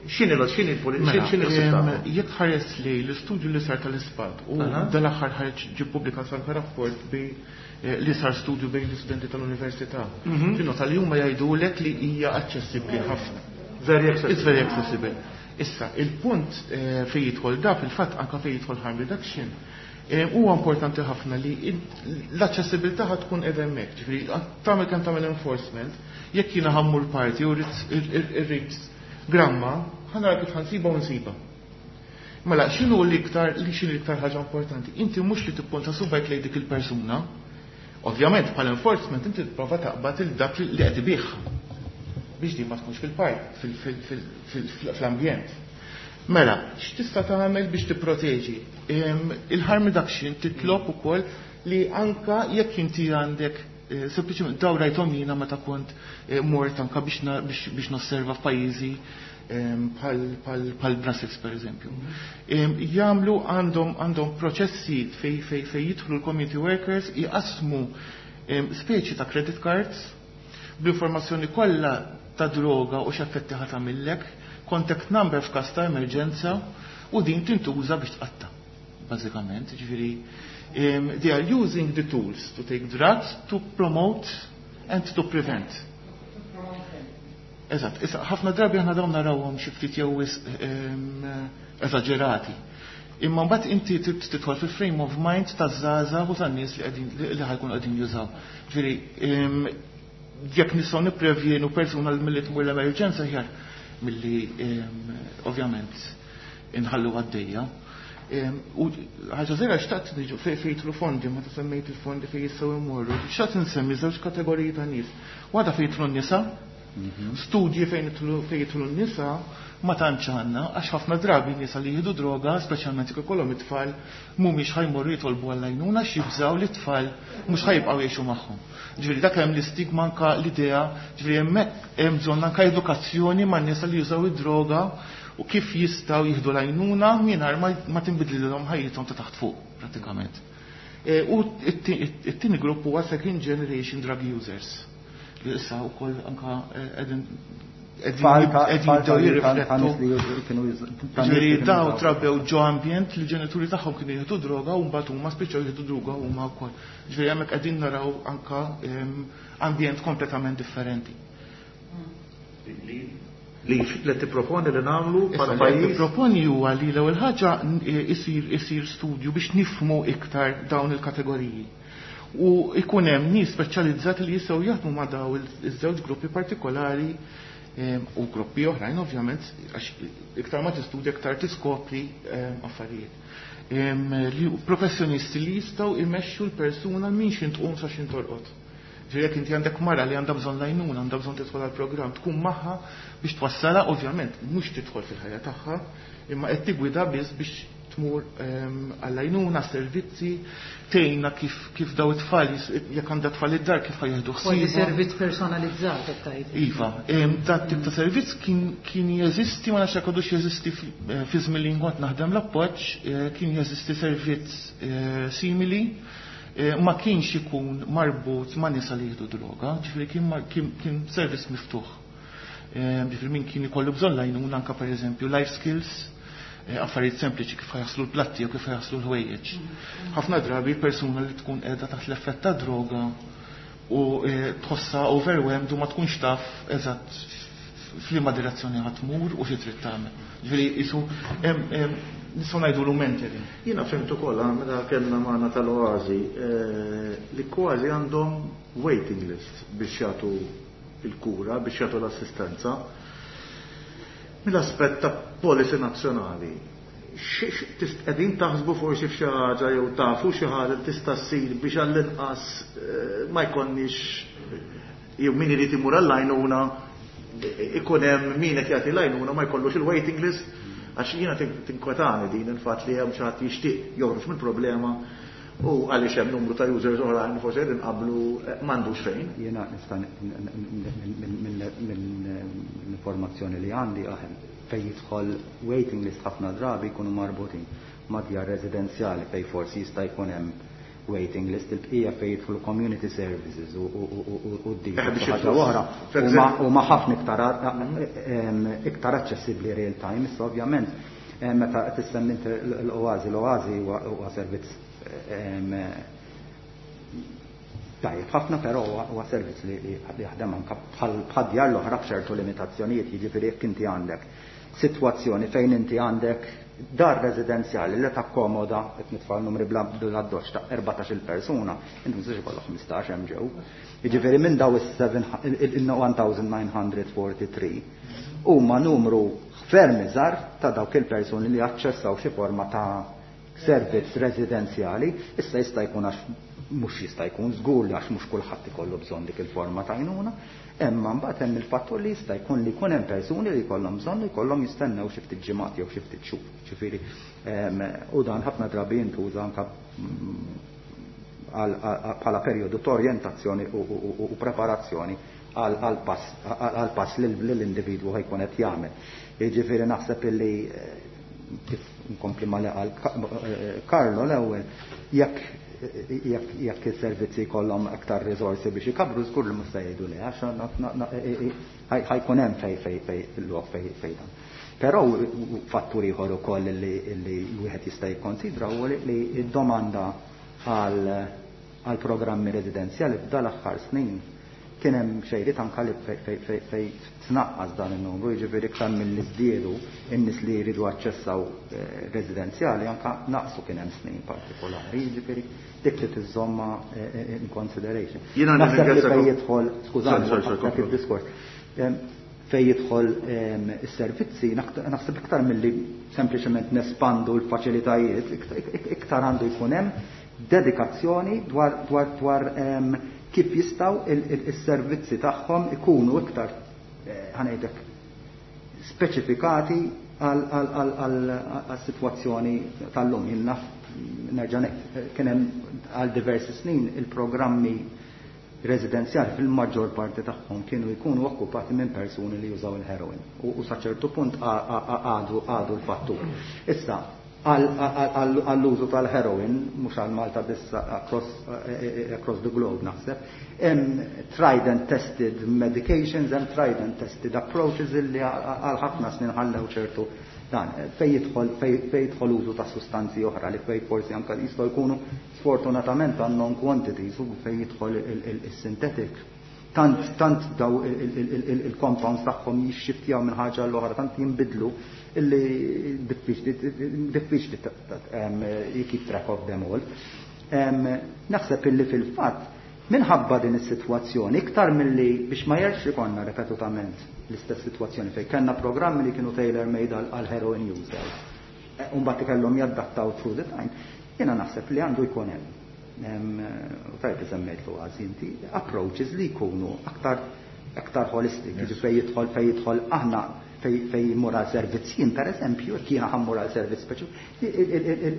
X'inhi x'inhi x'inhi mela, Jekk ħares li l-istudju li sar tal-ISPAD u dal-aħħar ħareġ ġie ppubblikat anke rapport bi eh, li sar studju bejn l-istudenti tal-università. Mhm. Tinnota li huma jgħidulek li hija aċċessibbli ħafna. Very accessible. It's very accessible. Issa, il-punt eh, fejn jidħol da fil-fatt anke fejn jidħol harm reduction eh, huwa importanti ħafna li l-aċċessibilità ħad tkun qiegħda hemmhekk, ġifieri tagħmel kemm tagħmel enforcement, jekk jiena ħa mmur party u rrid gramma, ħa nara kif ħa nsiba u nsiba. Mela, x'inhu l-iktar li x'inhu l-iktar ħaġa importanti? Inti mhux li tipponta subgħajk lejn dik il-persuna. Ovvjament bħal enforcement inti tipprova taqbad il dak li qed ibih biex din ma tkunx fil-park, fl-ambjent. Mela, x'tista' tagħmel biex tipproteġi? Il-harm reduction titlob ukoll li anka jekk inti għandek eh, sempliċement daw rajthom jiena meta kont eh, mort anka biex nosserva f'pajjiżi bħal Brussels per eżempju. Jagħmlu għandhom għandhom proċessi fej fej fej jidħlu l-community workers jqasmu speċi ta' credit cards bl-informazzjoni kollha ta' droga u x'effetti ħa tagħmillek, contact number f'każ ta' emerġenza u din tintuża biex tqatta. Bażikament, ġifieri they are using the tools to take drugs to promote and to prevent. Eżatt, issa ħafna drabi aħna dawn narawhom xi ftit jew eżaġerati. Imma mbagħad inti tidħol fil-frame of mind taż-żgħażagħ u tan-nies li qegħdin li ħa jkunu qegħdin jużaw. Ġifieri jekk nistgħu nipprevjenu persuna milli tmur l-emerġenza aħjar milli ovvjament inħallu għaddejja. U ħaġa żgħira xtaqt niġu fejn jidħlu fondi, meta semmejt il-fondi fejn jistgħu jmorru, xtaqt insemmi żewġ kategoriji ta' nies. Waħda fejn jidħlu n-nisa, studji fejn jidħlu n-nisa ma tantx għandna, għax ħafna drabi nisa li jieħdu droga, speċjalment jekk ikollhom it-tfal, mhumiex ħa jmorru jitolbu għall-għajnuna x'jibżgħu li t-tfal mhux ħa jibqgħu jgħixu magħhom. Ġifieri dak hemm l-istigma anka l-idea, ġifieri hemmhekk hemm bżonn anka edukazzjoni man-nisa li jużaw id-droga u kif jistgħu jieħdu l-għajnuna mingħajr ma tinbidlilhom ħajjithom ta' taħt fuq prattikament. E, u it-tieni grupp huwa second generation drug users li issa wkoll anka qegħdin qegħdin jirriflettu. Ġifieri daw trabbew ġo ambjent li ġenituri tagħhom kienu jieħdu droga u mbagħad huma spiċċaw jieħdu droga huma wkoll. Ġifieri hemmhekk qegħdin naraw anka ambjent kompletament differenti. Li li tipproponi li nagħmlu bħala pajjiż? Tipproponi huwa li l-ewwel ħaġa isir isir studju biex nifhmu iktar dawn il-kategoriji. U ikun hemm nies speċjalizzati li jistgħu jaħdmu ma' daw iż-żewġ gruppi partikolari u gruppi oħrajn ovvjament għax iktar ma tistudja iktar tiskopri affarijiet. Li professjonisti li jistgħu imexxu l-persuna minn x'int tqum sa x'int torqod. Ġifieri jekk inti għandek mara li għandha bżonn l-għajnuna, għandha bżonn tidħol għall-programm, tkun magħha biex twassalha, ovvjament mhux tidħol fil-ħajja tagħha, imma qed tigwida biss biex tmur għall-għajnuna, servizzi, tgħinha kif kif daw it-tfal jekk għandha tfal id-dar kif ħa jieħdu ħsieb. Kważi servizz personalizzat qed tgħid. Iva, dat tip ta' servizz kien kien jeżisti, ma nafx jekk għadux jeżisti fi żmien li kont naħdem l-appoġġ, kien jeżisti servizz simili, ma kienx ikun marbut ma' nisa li jieħdu droga, ġifieri kien kien servizz miftuħ. Ġifieri min kien ikollu bżonn l-għajnuna anke pereżempju life skills, affarijiet sempliċi kif jaħslu l-platti jew kif jaħslu l-ħwejjeġ. Ħafna drabi persuna li tkun qiegħda taħt l-effett ta' droga u tħossha overwhelmed u ma tkunx taf eżatt f'liema direzzjoni ħa tmur u xi trid tagħmel. Ġifieri isu nistgħu ngħidu mentoring. Jiena fhimt ukoll meta kellna magħna tal-Oażi li kważi għandhom waiting list biex jagħtu il-kura, biex jagħtu l-assistenza. Mill-aspett ta' policy nazzjonali, qegħdin taħsbu forsi f'xi ħaġa jew tafu xi ħaġa li tista' ssir biex għall-inqas ma jkollniex jew min irid imur għall-għajnuna ikun hemm min qed jagħti l-għajnuna ma jkollux il-waiting list, għax jiena tinkwetani din il-fatt li hemm xi ħadd jixtieq joħroġ mill-problema u għaliex hemm numru ta' users oħrajn forsi qegħdin qablu m'għandux fejn. Jiena nista' mill-informazzjoni li għandi aħen fejn jidħol waiting list ħafna drabi jkunu marbutin ma' djar residenzjali fejn forsi jista' jkun hemm waiting list, il-bqija fejn jidħlu community services u d-din. Eh, biex ħaġa jidħlu. oħra. For Huma example- huma ħafna iktar em, iktar aċċessibbli real time, issa ovvjament em, meta qed issemmi inti l-Oazi, l-Oazi huwa huwa servizz em, tajjeb ħafna, però huwa huwa servizz li li jaħdem anke bħal bħad djar l-oħra b'ċertu limitazzjonijiet, jiġifieri jekk inti għandek sitwazzjoni fejn inti għandek dar residenzjali li takkomoda, qed nitfa' numri bla bla doċ ta' erbatax-il persuna, inti mhux ikollok ħmistax hemm ġew. Jiġifieri minn daw is-seven one thousand nine hundred forty-three huma numru ferm iżgħar ta' dawk il-persuni li aċċessaw xi forma ta' servizz residenzjali. Issa jista' jkun għax mhux jista' jkun żgur li għax mhux kulħadd ikollu bżonn dik il-forma ta' għajnuna, imma mbagħad hemm il-fattur li jista' jkun li jkun hemm persuni li jkollhom bżonn li jkollhom jistennew xi ftit ġimgħat jew xi ftit xhur. Ġifieri, ehm, u dan ħafna drabi jintuża anke għal, għal, bħala perjodu ta' orjentazzjoni u, u, u, u preparazzjoni għal, għal pass, għal pass li l-individwu ħajkun qed jagħmel. Jiġifieri naħseb illi, eh, kif nkompli ma li qal Ka-, eh, Carlo l-ewwel, jekk, jekk, jekk is-servizzi jkollhom aktar riżorsi biex ikabru, żgur li mhux se jgħidu le, għax na-, na-, na-, e-, e-, ħaj-, ħajkun hemm fej, fej, fej, lok fej, fej dan. Però fattur ieħor ukoll li, li wieħed jista' jikkonsidra huwa li, li d-domanda għal, għal programmi residenzjali f'dal aħħar snin kien hemm xejriet anke li fej, fej, fej, fej tnaqqas dan in-numru, jiġifieri iktar milli żdiedu in-nies li jridu aċċessaw, eh, residenzjali anke naqsu kien hemm snin partikolari, jiġifieri dik li tiżomma, eh, eh, in consideration. Jiena Naħseb li nirringrazzjakom. fejn jidħol, skużani, Sorry, sorry, dak komplu. id-diskors. Em, fejn jidħol, em, is-servizzi, naħt-, naħseb iktar milli sempliċement nespandu l-faċilitajiet, ikt-, ikt-, iktar għandu jkun hemm dedikazzjoni dwar, dwar, dwar, em, kif jistgħu il-, il-, is-servizzi tagħhom ikunu iktar, eh, ħanejdek speċifikati għal, għal, għal, għal, għal-sitwazzjoni tal-lum. Jien naf, nerġa' ngħid, kien hemm għal diversi snin il-programmi residenzjali fil-maġġor parti tagħhom kienu jkunu okkupati minn persuni li jużaw il-heroin u, u sa ċertu punt a-, a-, a-, għadu, għadu l-fattur. Issa, għal, għal, għal, għall-użu tal-heroin, mhux għal Malta biss, across, eh, eh, across the globe naħseb, hemm tried and tested medications, hemm tried and tested approaches illi għal ħafna snin ħallew ċertu dan. Fej jidħol, fej, fej jidħol użu ta' sustanzi oħra li fej forsi anke jistgħu jkunu sfortunatament unknown quantities, u fej jidħol il-, il-, il-synthetic. Tant, tant daw il-, il-, il-, il-, il-compounds tagħhom jixxiftjaw minn ħaġa l-oħra, tant jinbidlu illi diffiċli, diffiċli ta-, ta-, em, you keep track of them all. Em, naħseb illi fil-fatt minħabba din is-sitwazzjoni, iktar milli biex ma jerġx ikollna ripetutament l-istess sitwazzjoni fejn kellna programmi li kienu tailor-made għal, għal heroin users, e, u mbagħad ikollhom jadattaw through the time, jiena naħseb li għandu jkun hemm. Em, u tajt li semmejt l inti, approaches li jkunu aktar, aktar holistic, Yes. jiġifieri fejn jidħol, fejn jidħol aħna fej, fej jmur għal servizz jien, per eżempju, jekk jiena ħammur għal servizz speċi,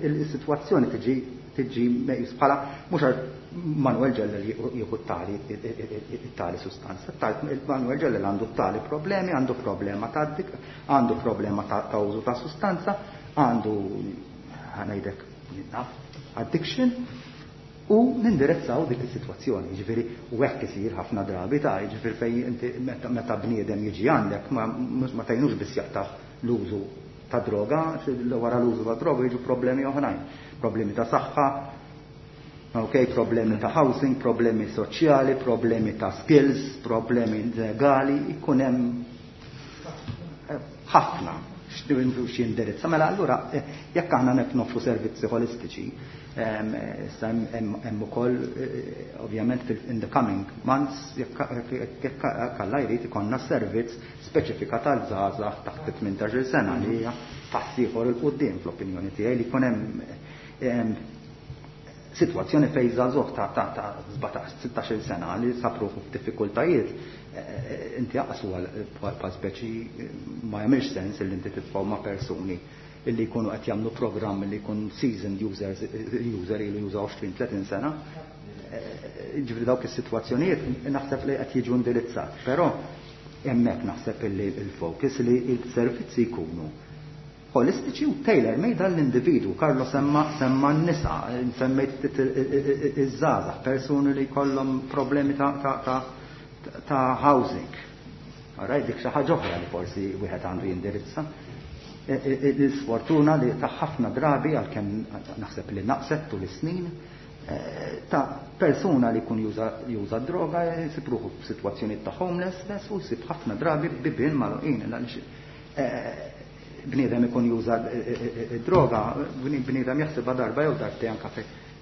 il-sitwazzjoni tiġi, tiġi meqjus bħala mhux għal Manuel Ġellel jieħu tali, tali sustanza. Tali, Manuel Ġellel għandu tali problemi, għandu problema ta' dik, għandu problema ta', ta' użu ta' sustanza, għandu, ħanajdek, naf, addiction, u nindirezzaw dik is-sitwazzjoni. Jiġifieri u hekk isir ħafna drabi ta' jiġifieri fejn inti meta, meta bniedem jiġi għandek ma, ma tgħinux biss jaqtaħ l-użu ta' droga, wara l-użu ta' droga jiġu problemi oħrajn, problemi ta' saħħa, ok, problemi ta' housing, problemi soċjali, problemi ta' skills, problemi legali, ikun hemm ħafna x'indirizza. Mela allura, eh, jekk aħna nek noffru servizzi holistiċi, ehm, issa hemm, hemm, hemm ukoll, eh, ovvjament fil-, in the coming months, jekk, jekk, jekk Alla jrid ikollna servizz speċifikat għal żgħażagħ taħt tmintax-il sena li hija pass ieħor il quddiem fl-opinjoni tiegħi li jkun hemm, ehm, sitwazzjoni fejn żagħżugħ ta', ta', ta' sbatax, sittax-il sena li sapruħu f'diffikultajiet, eh, eh, inti aqsu għal bħal speċi, eh, ma jagħmilx sens illi inti titfgħu ma' persuni illi jkunu qed jagħmlu programm li jkun seasoned users, user ilu juża għoxrin, tletin sena. Eh, ġifieri dawk is-sitwazzjonijiet naħseb li qed jiġu indirizzat, però hemmhekk naħseb illi il-focus li l-servizzi jkunu holistiċi u tailor-made għall-individu. Carlo semma semma n-nisa, semmejt iż-żgħażagħ, persuni li jkollhom problemi ta', ta, ta, ta housing. Alright, dik xi ħaġa oħra li forsi wieħed għandu jindirizza. L-sfortuna li ta' ħafna drabi, għalkemm naħseb li naqset tul is-snin, ta' persuna li jkun juża droga jsib ruħu f'sitwazzjoni ta' homelessness u jsib ħafna drabi bibien magħluqin, għaliex bniedem ikun juża droga, bniedem jaħsibha darba jew darbtejn anke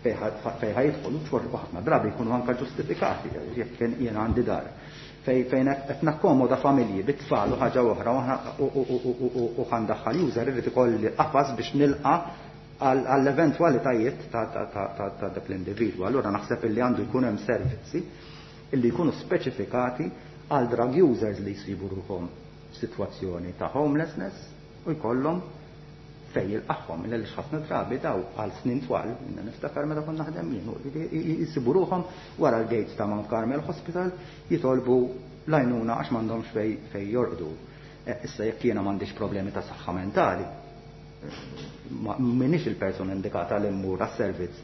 fejn ħa jidħol, u ħafna drabi jkunu anke ġustifikati jekk jien għandi dar. Fejn qed nakkomoda familji bit-tfal u ħaġa oħra u ħa ndaħħal user, irid ikolli qafas biex nilqa' għall-eventwalitajiet ta' dak l-individwu. Allura naħseb illi għandu jkun hemm servizzi illi jkunu speċifikati għal drug users li jsibu ruħhom f'sitwazzjoni ta' homelessness u jkollhom fej jilqagħhom, għaliex ħafna drabi daw għal snin twal, minna niftakar meta konna naħdem jien, jisibu ruħhom wara l-gates ta' Mount Carmel Hospital jitolbu l-għajnuna għax m'għandhomx fej fej jorqdu. Issa jekk jiena m'għandix problemi ta' saħħa mentali, m'iniex il-persuna indikata li mmur għas-servizz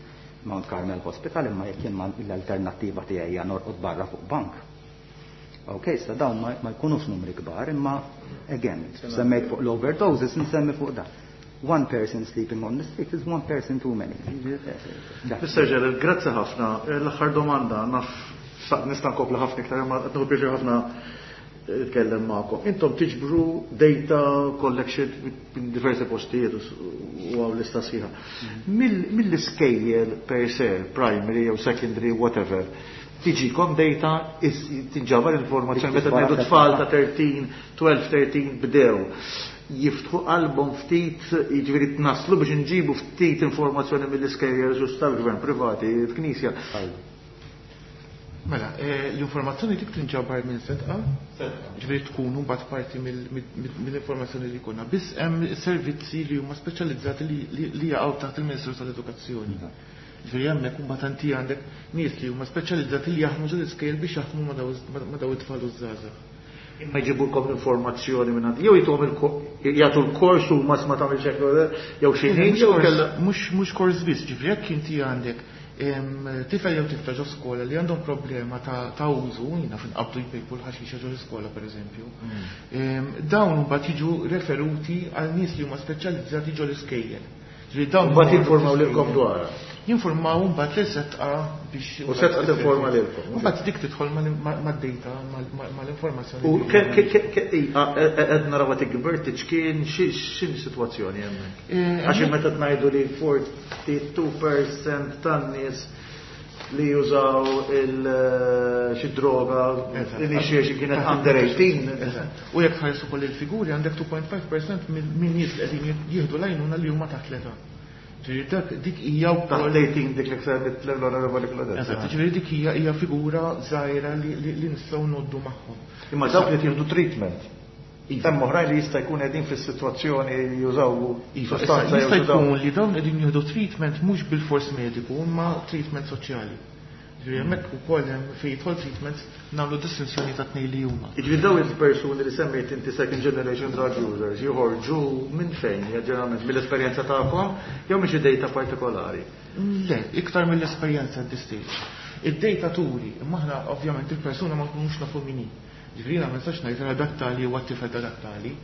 Mount Carmel Hospital, imma jekk jien l-alternattiva tiegħi hija norqod barra fuq bank. Ok, issa dawn ma jkunux numri kbar, imma again, semmejt fuq l-overdoses, nsemmi fuq da. One person sleeping on the street is one person too many. Mister Ġelel, grazzi ħafna. L-aħħar domanda, naf nista' nkompli ħafna iktar, imma qed nieħu pjaċir ħafna nitkellem magħkom. Intom tiġbru data collection minn diversi postijiet u hawn lista sħiħa. Mill-iskejjel per se, primary jew secondary, whatever, tiġikom data, tinġabar informazzjoni meta ngħidu tfal ta' tlettax, tnax, tlettax bdew jiftħu qalbhom ftit, jiġifieri tnaslu biex nġibu ftit informazzjoni mill-iskejjel ġust tal-gvern privati, il-Knisja. Mela, l-informazzjoni dik tinġabar minn Sedqa, ġifieri tkun mbagħad parti mill-informazzjoni li jkollna. Biss hemm servizzi li huma speċjalizzati li jaqgħu taħt il-Ministru tal-Edukazzjoni. Ġifieri hemmhekk imbagħad inti għandek nies li huma speċjalizzati li jaħdmu ġol iskejjel biex jaħdmu ma' daw it-tfal u żgħażagħ. Imma jġibulkom informazzjoni minn għandi, jew jituhom jagħtu l-kors u ma ma tagħmilx hekk, jew xi ħin, jew kellha mhux kors biss, ġifieri jekk inti għandek tifel jew tifla ġo skola li għandhom problema ta' użu, jiena fin qabdu jpejpu l-ħaxixa ġo skola pereżempju, dawn mbagħad jiġu referuti għal nies li huma speċjalizzati ġo l-iskejjel. Ġifieri dawn mbagħad jinformaw lilkom dwarha. Jinformaw mbagħad lil Sedqa biex U Sedqa tinforma lilkom. Mbagħad dik tidħol mad-data, mal-informazzjoni. U qed naraw tikber tiċkien x'in sitwazzjoni hemmhekk. Għax meta tgħidu li forty-two percent tan-nies li jużaw il xi droga initiation kienet under eighteen. U jekk tħarsu ukoll il-figuri għandek two point five percent minn nies li qegħdin jieħdu l-għajnuna li huma taħt l-età. Ġifieri dak dik hija wkoll eighteen dik li semmit l-Onorevoli Claudette. Eżatt, ġifieri dik hija hija figura żgħira li nistgħu ngħoddu magħhom. Imma dawk li jieħdu treatment. Hemm oħrajn li jista' jkun qegħdin fis-sitwazzjoni li jużaw sostanza jew jista' jkun li dawn qegħdin jieħdu treatment mhux bil-fors mediku imma treatment soċjali. Ġifieri hemmhekk ukoll hemm fejn jidħol treatment nagħmlu distinzjoni ta' tnejn li huma. Jiġifieri dawn il-persuni li semmejt inti second generation drug users joħorġu minn fejn, ġeneralment mill-esperjenza tagħkom jew minn xi data partikolari? Le, iktar mill-esperjenza at this stage. Id-data turi, imma aħna ovvjament il-persuna ma nkunux nafu min hi. Ġifieri jiena ma nistax ngħid ra dak tali huwa t-tifel ta' dak tali.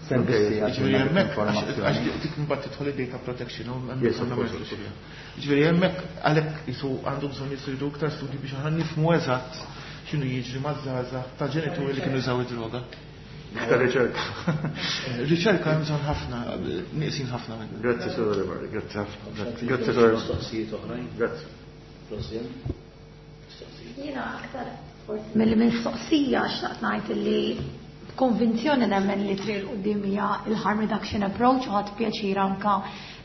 Servizzi Ġifieri hemmhekk għax dik imbagħad tidħol id-data protection u hemmhekk għandna ma nidħlux fiha. Ġifieri hemmhekk għalhekk isu għandu bżonn jisiru iktar studji biex aħna nifhmu eżatt x'inhu jiġri maż-żgħażagħ ta' ġenituri li kienu jużaw id-droga. Iktar riċerka. Riċerka hemm bżonn ħafna, nieqsin ħafna minn. Grazzi, Sur Oliver, grazzi ħafna. Grazzi, Sur Oliver. Mistoqsijiet oħrajn? Grazzi. Rosien? Jiena aktar forsi mill-mistoqsija xtaqt ngħid li b'konvinzjoni nemmen li triq 'il quddiem hija il-harm reduction approach u ħadd pjaċir anka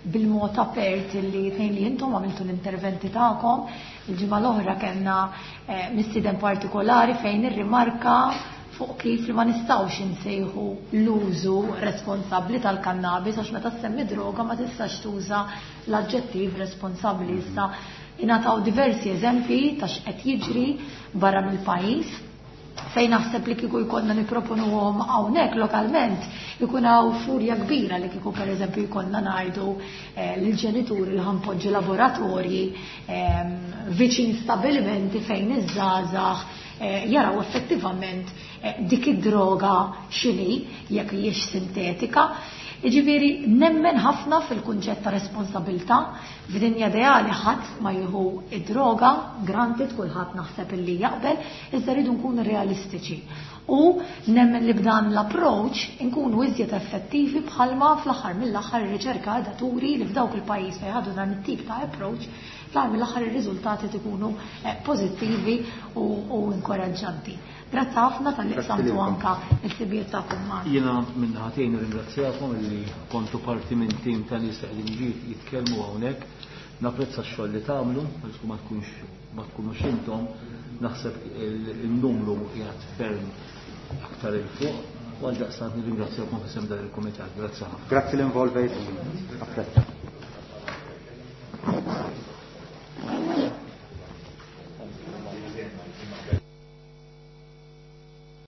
bil-mod apert li tnejn li intom għamiltu l-interventi tagħkom. Il-ġimgħa l-oħra kellna mistieden partikolari fejn irrimarka fuq kif li ma nistgħux insejħu l-użu responsabbli tal-kannabis għax meta ssemmi droga ma tistax tuża l-aġġettiv responsabbli. Issa ingħataw diversi eżempji ta' x'qed jiġri barra mill-pajjiż. Fejn naħseb li kieku jkollna nipproponuhom hawnhekk lokalment, ikun hawn furja kbira li kieku pereżempju jkollna ngħidu eh, lill-ġenituri li ħa npoġġu laboratorji ehm, viċin stabilimenti fejn iż-żgħażagħ eh, jaraw effettivament eh, dik id-droga x'inhi, jekk hijiex sintetika. Jiġifieri nemmen ħafna fil-kunċett ta' responsabilità. F'dinja ideali ħadd ma jieħu id-droga, granted, kulħadd naħseb illi jaqbel, iżda rridu nkunu realistiċi. U nemmen li b'dan l-approach nkunu iżjed effettivi, bħalma fl-aħħar mill-aħħar ir-riċerka għadha turi li f'dawk il-pajjiż fejn ħadu dan it-tip ta' approach, fl-aħħar mill-aħħar ir-riżultati ikunu eh, pożittivi u, u inkoraġġanti. Grazzi ħafna talli qsamtu anka il-ħsibijiet tagħkom magħna. Jiena minn ħatejn ringrazzjakom li kontu parti minn tim ta' nies li qegħdin jitkellmu hawnhekk. Napprezza x-xogħol li tagħmlu, għax ma tkunx ma tkunux intom, naħseb il-numru qiegħed ferm aktar 'il fuq. U għaldaqstant nirringrazzjakom f'isem dan il-kumitat. Grazzi ħafna. Grazzi li involvejt. Apprezza.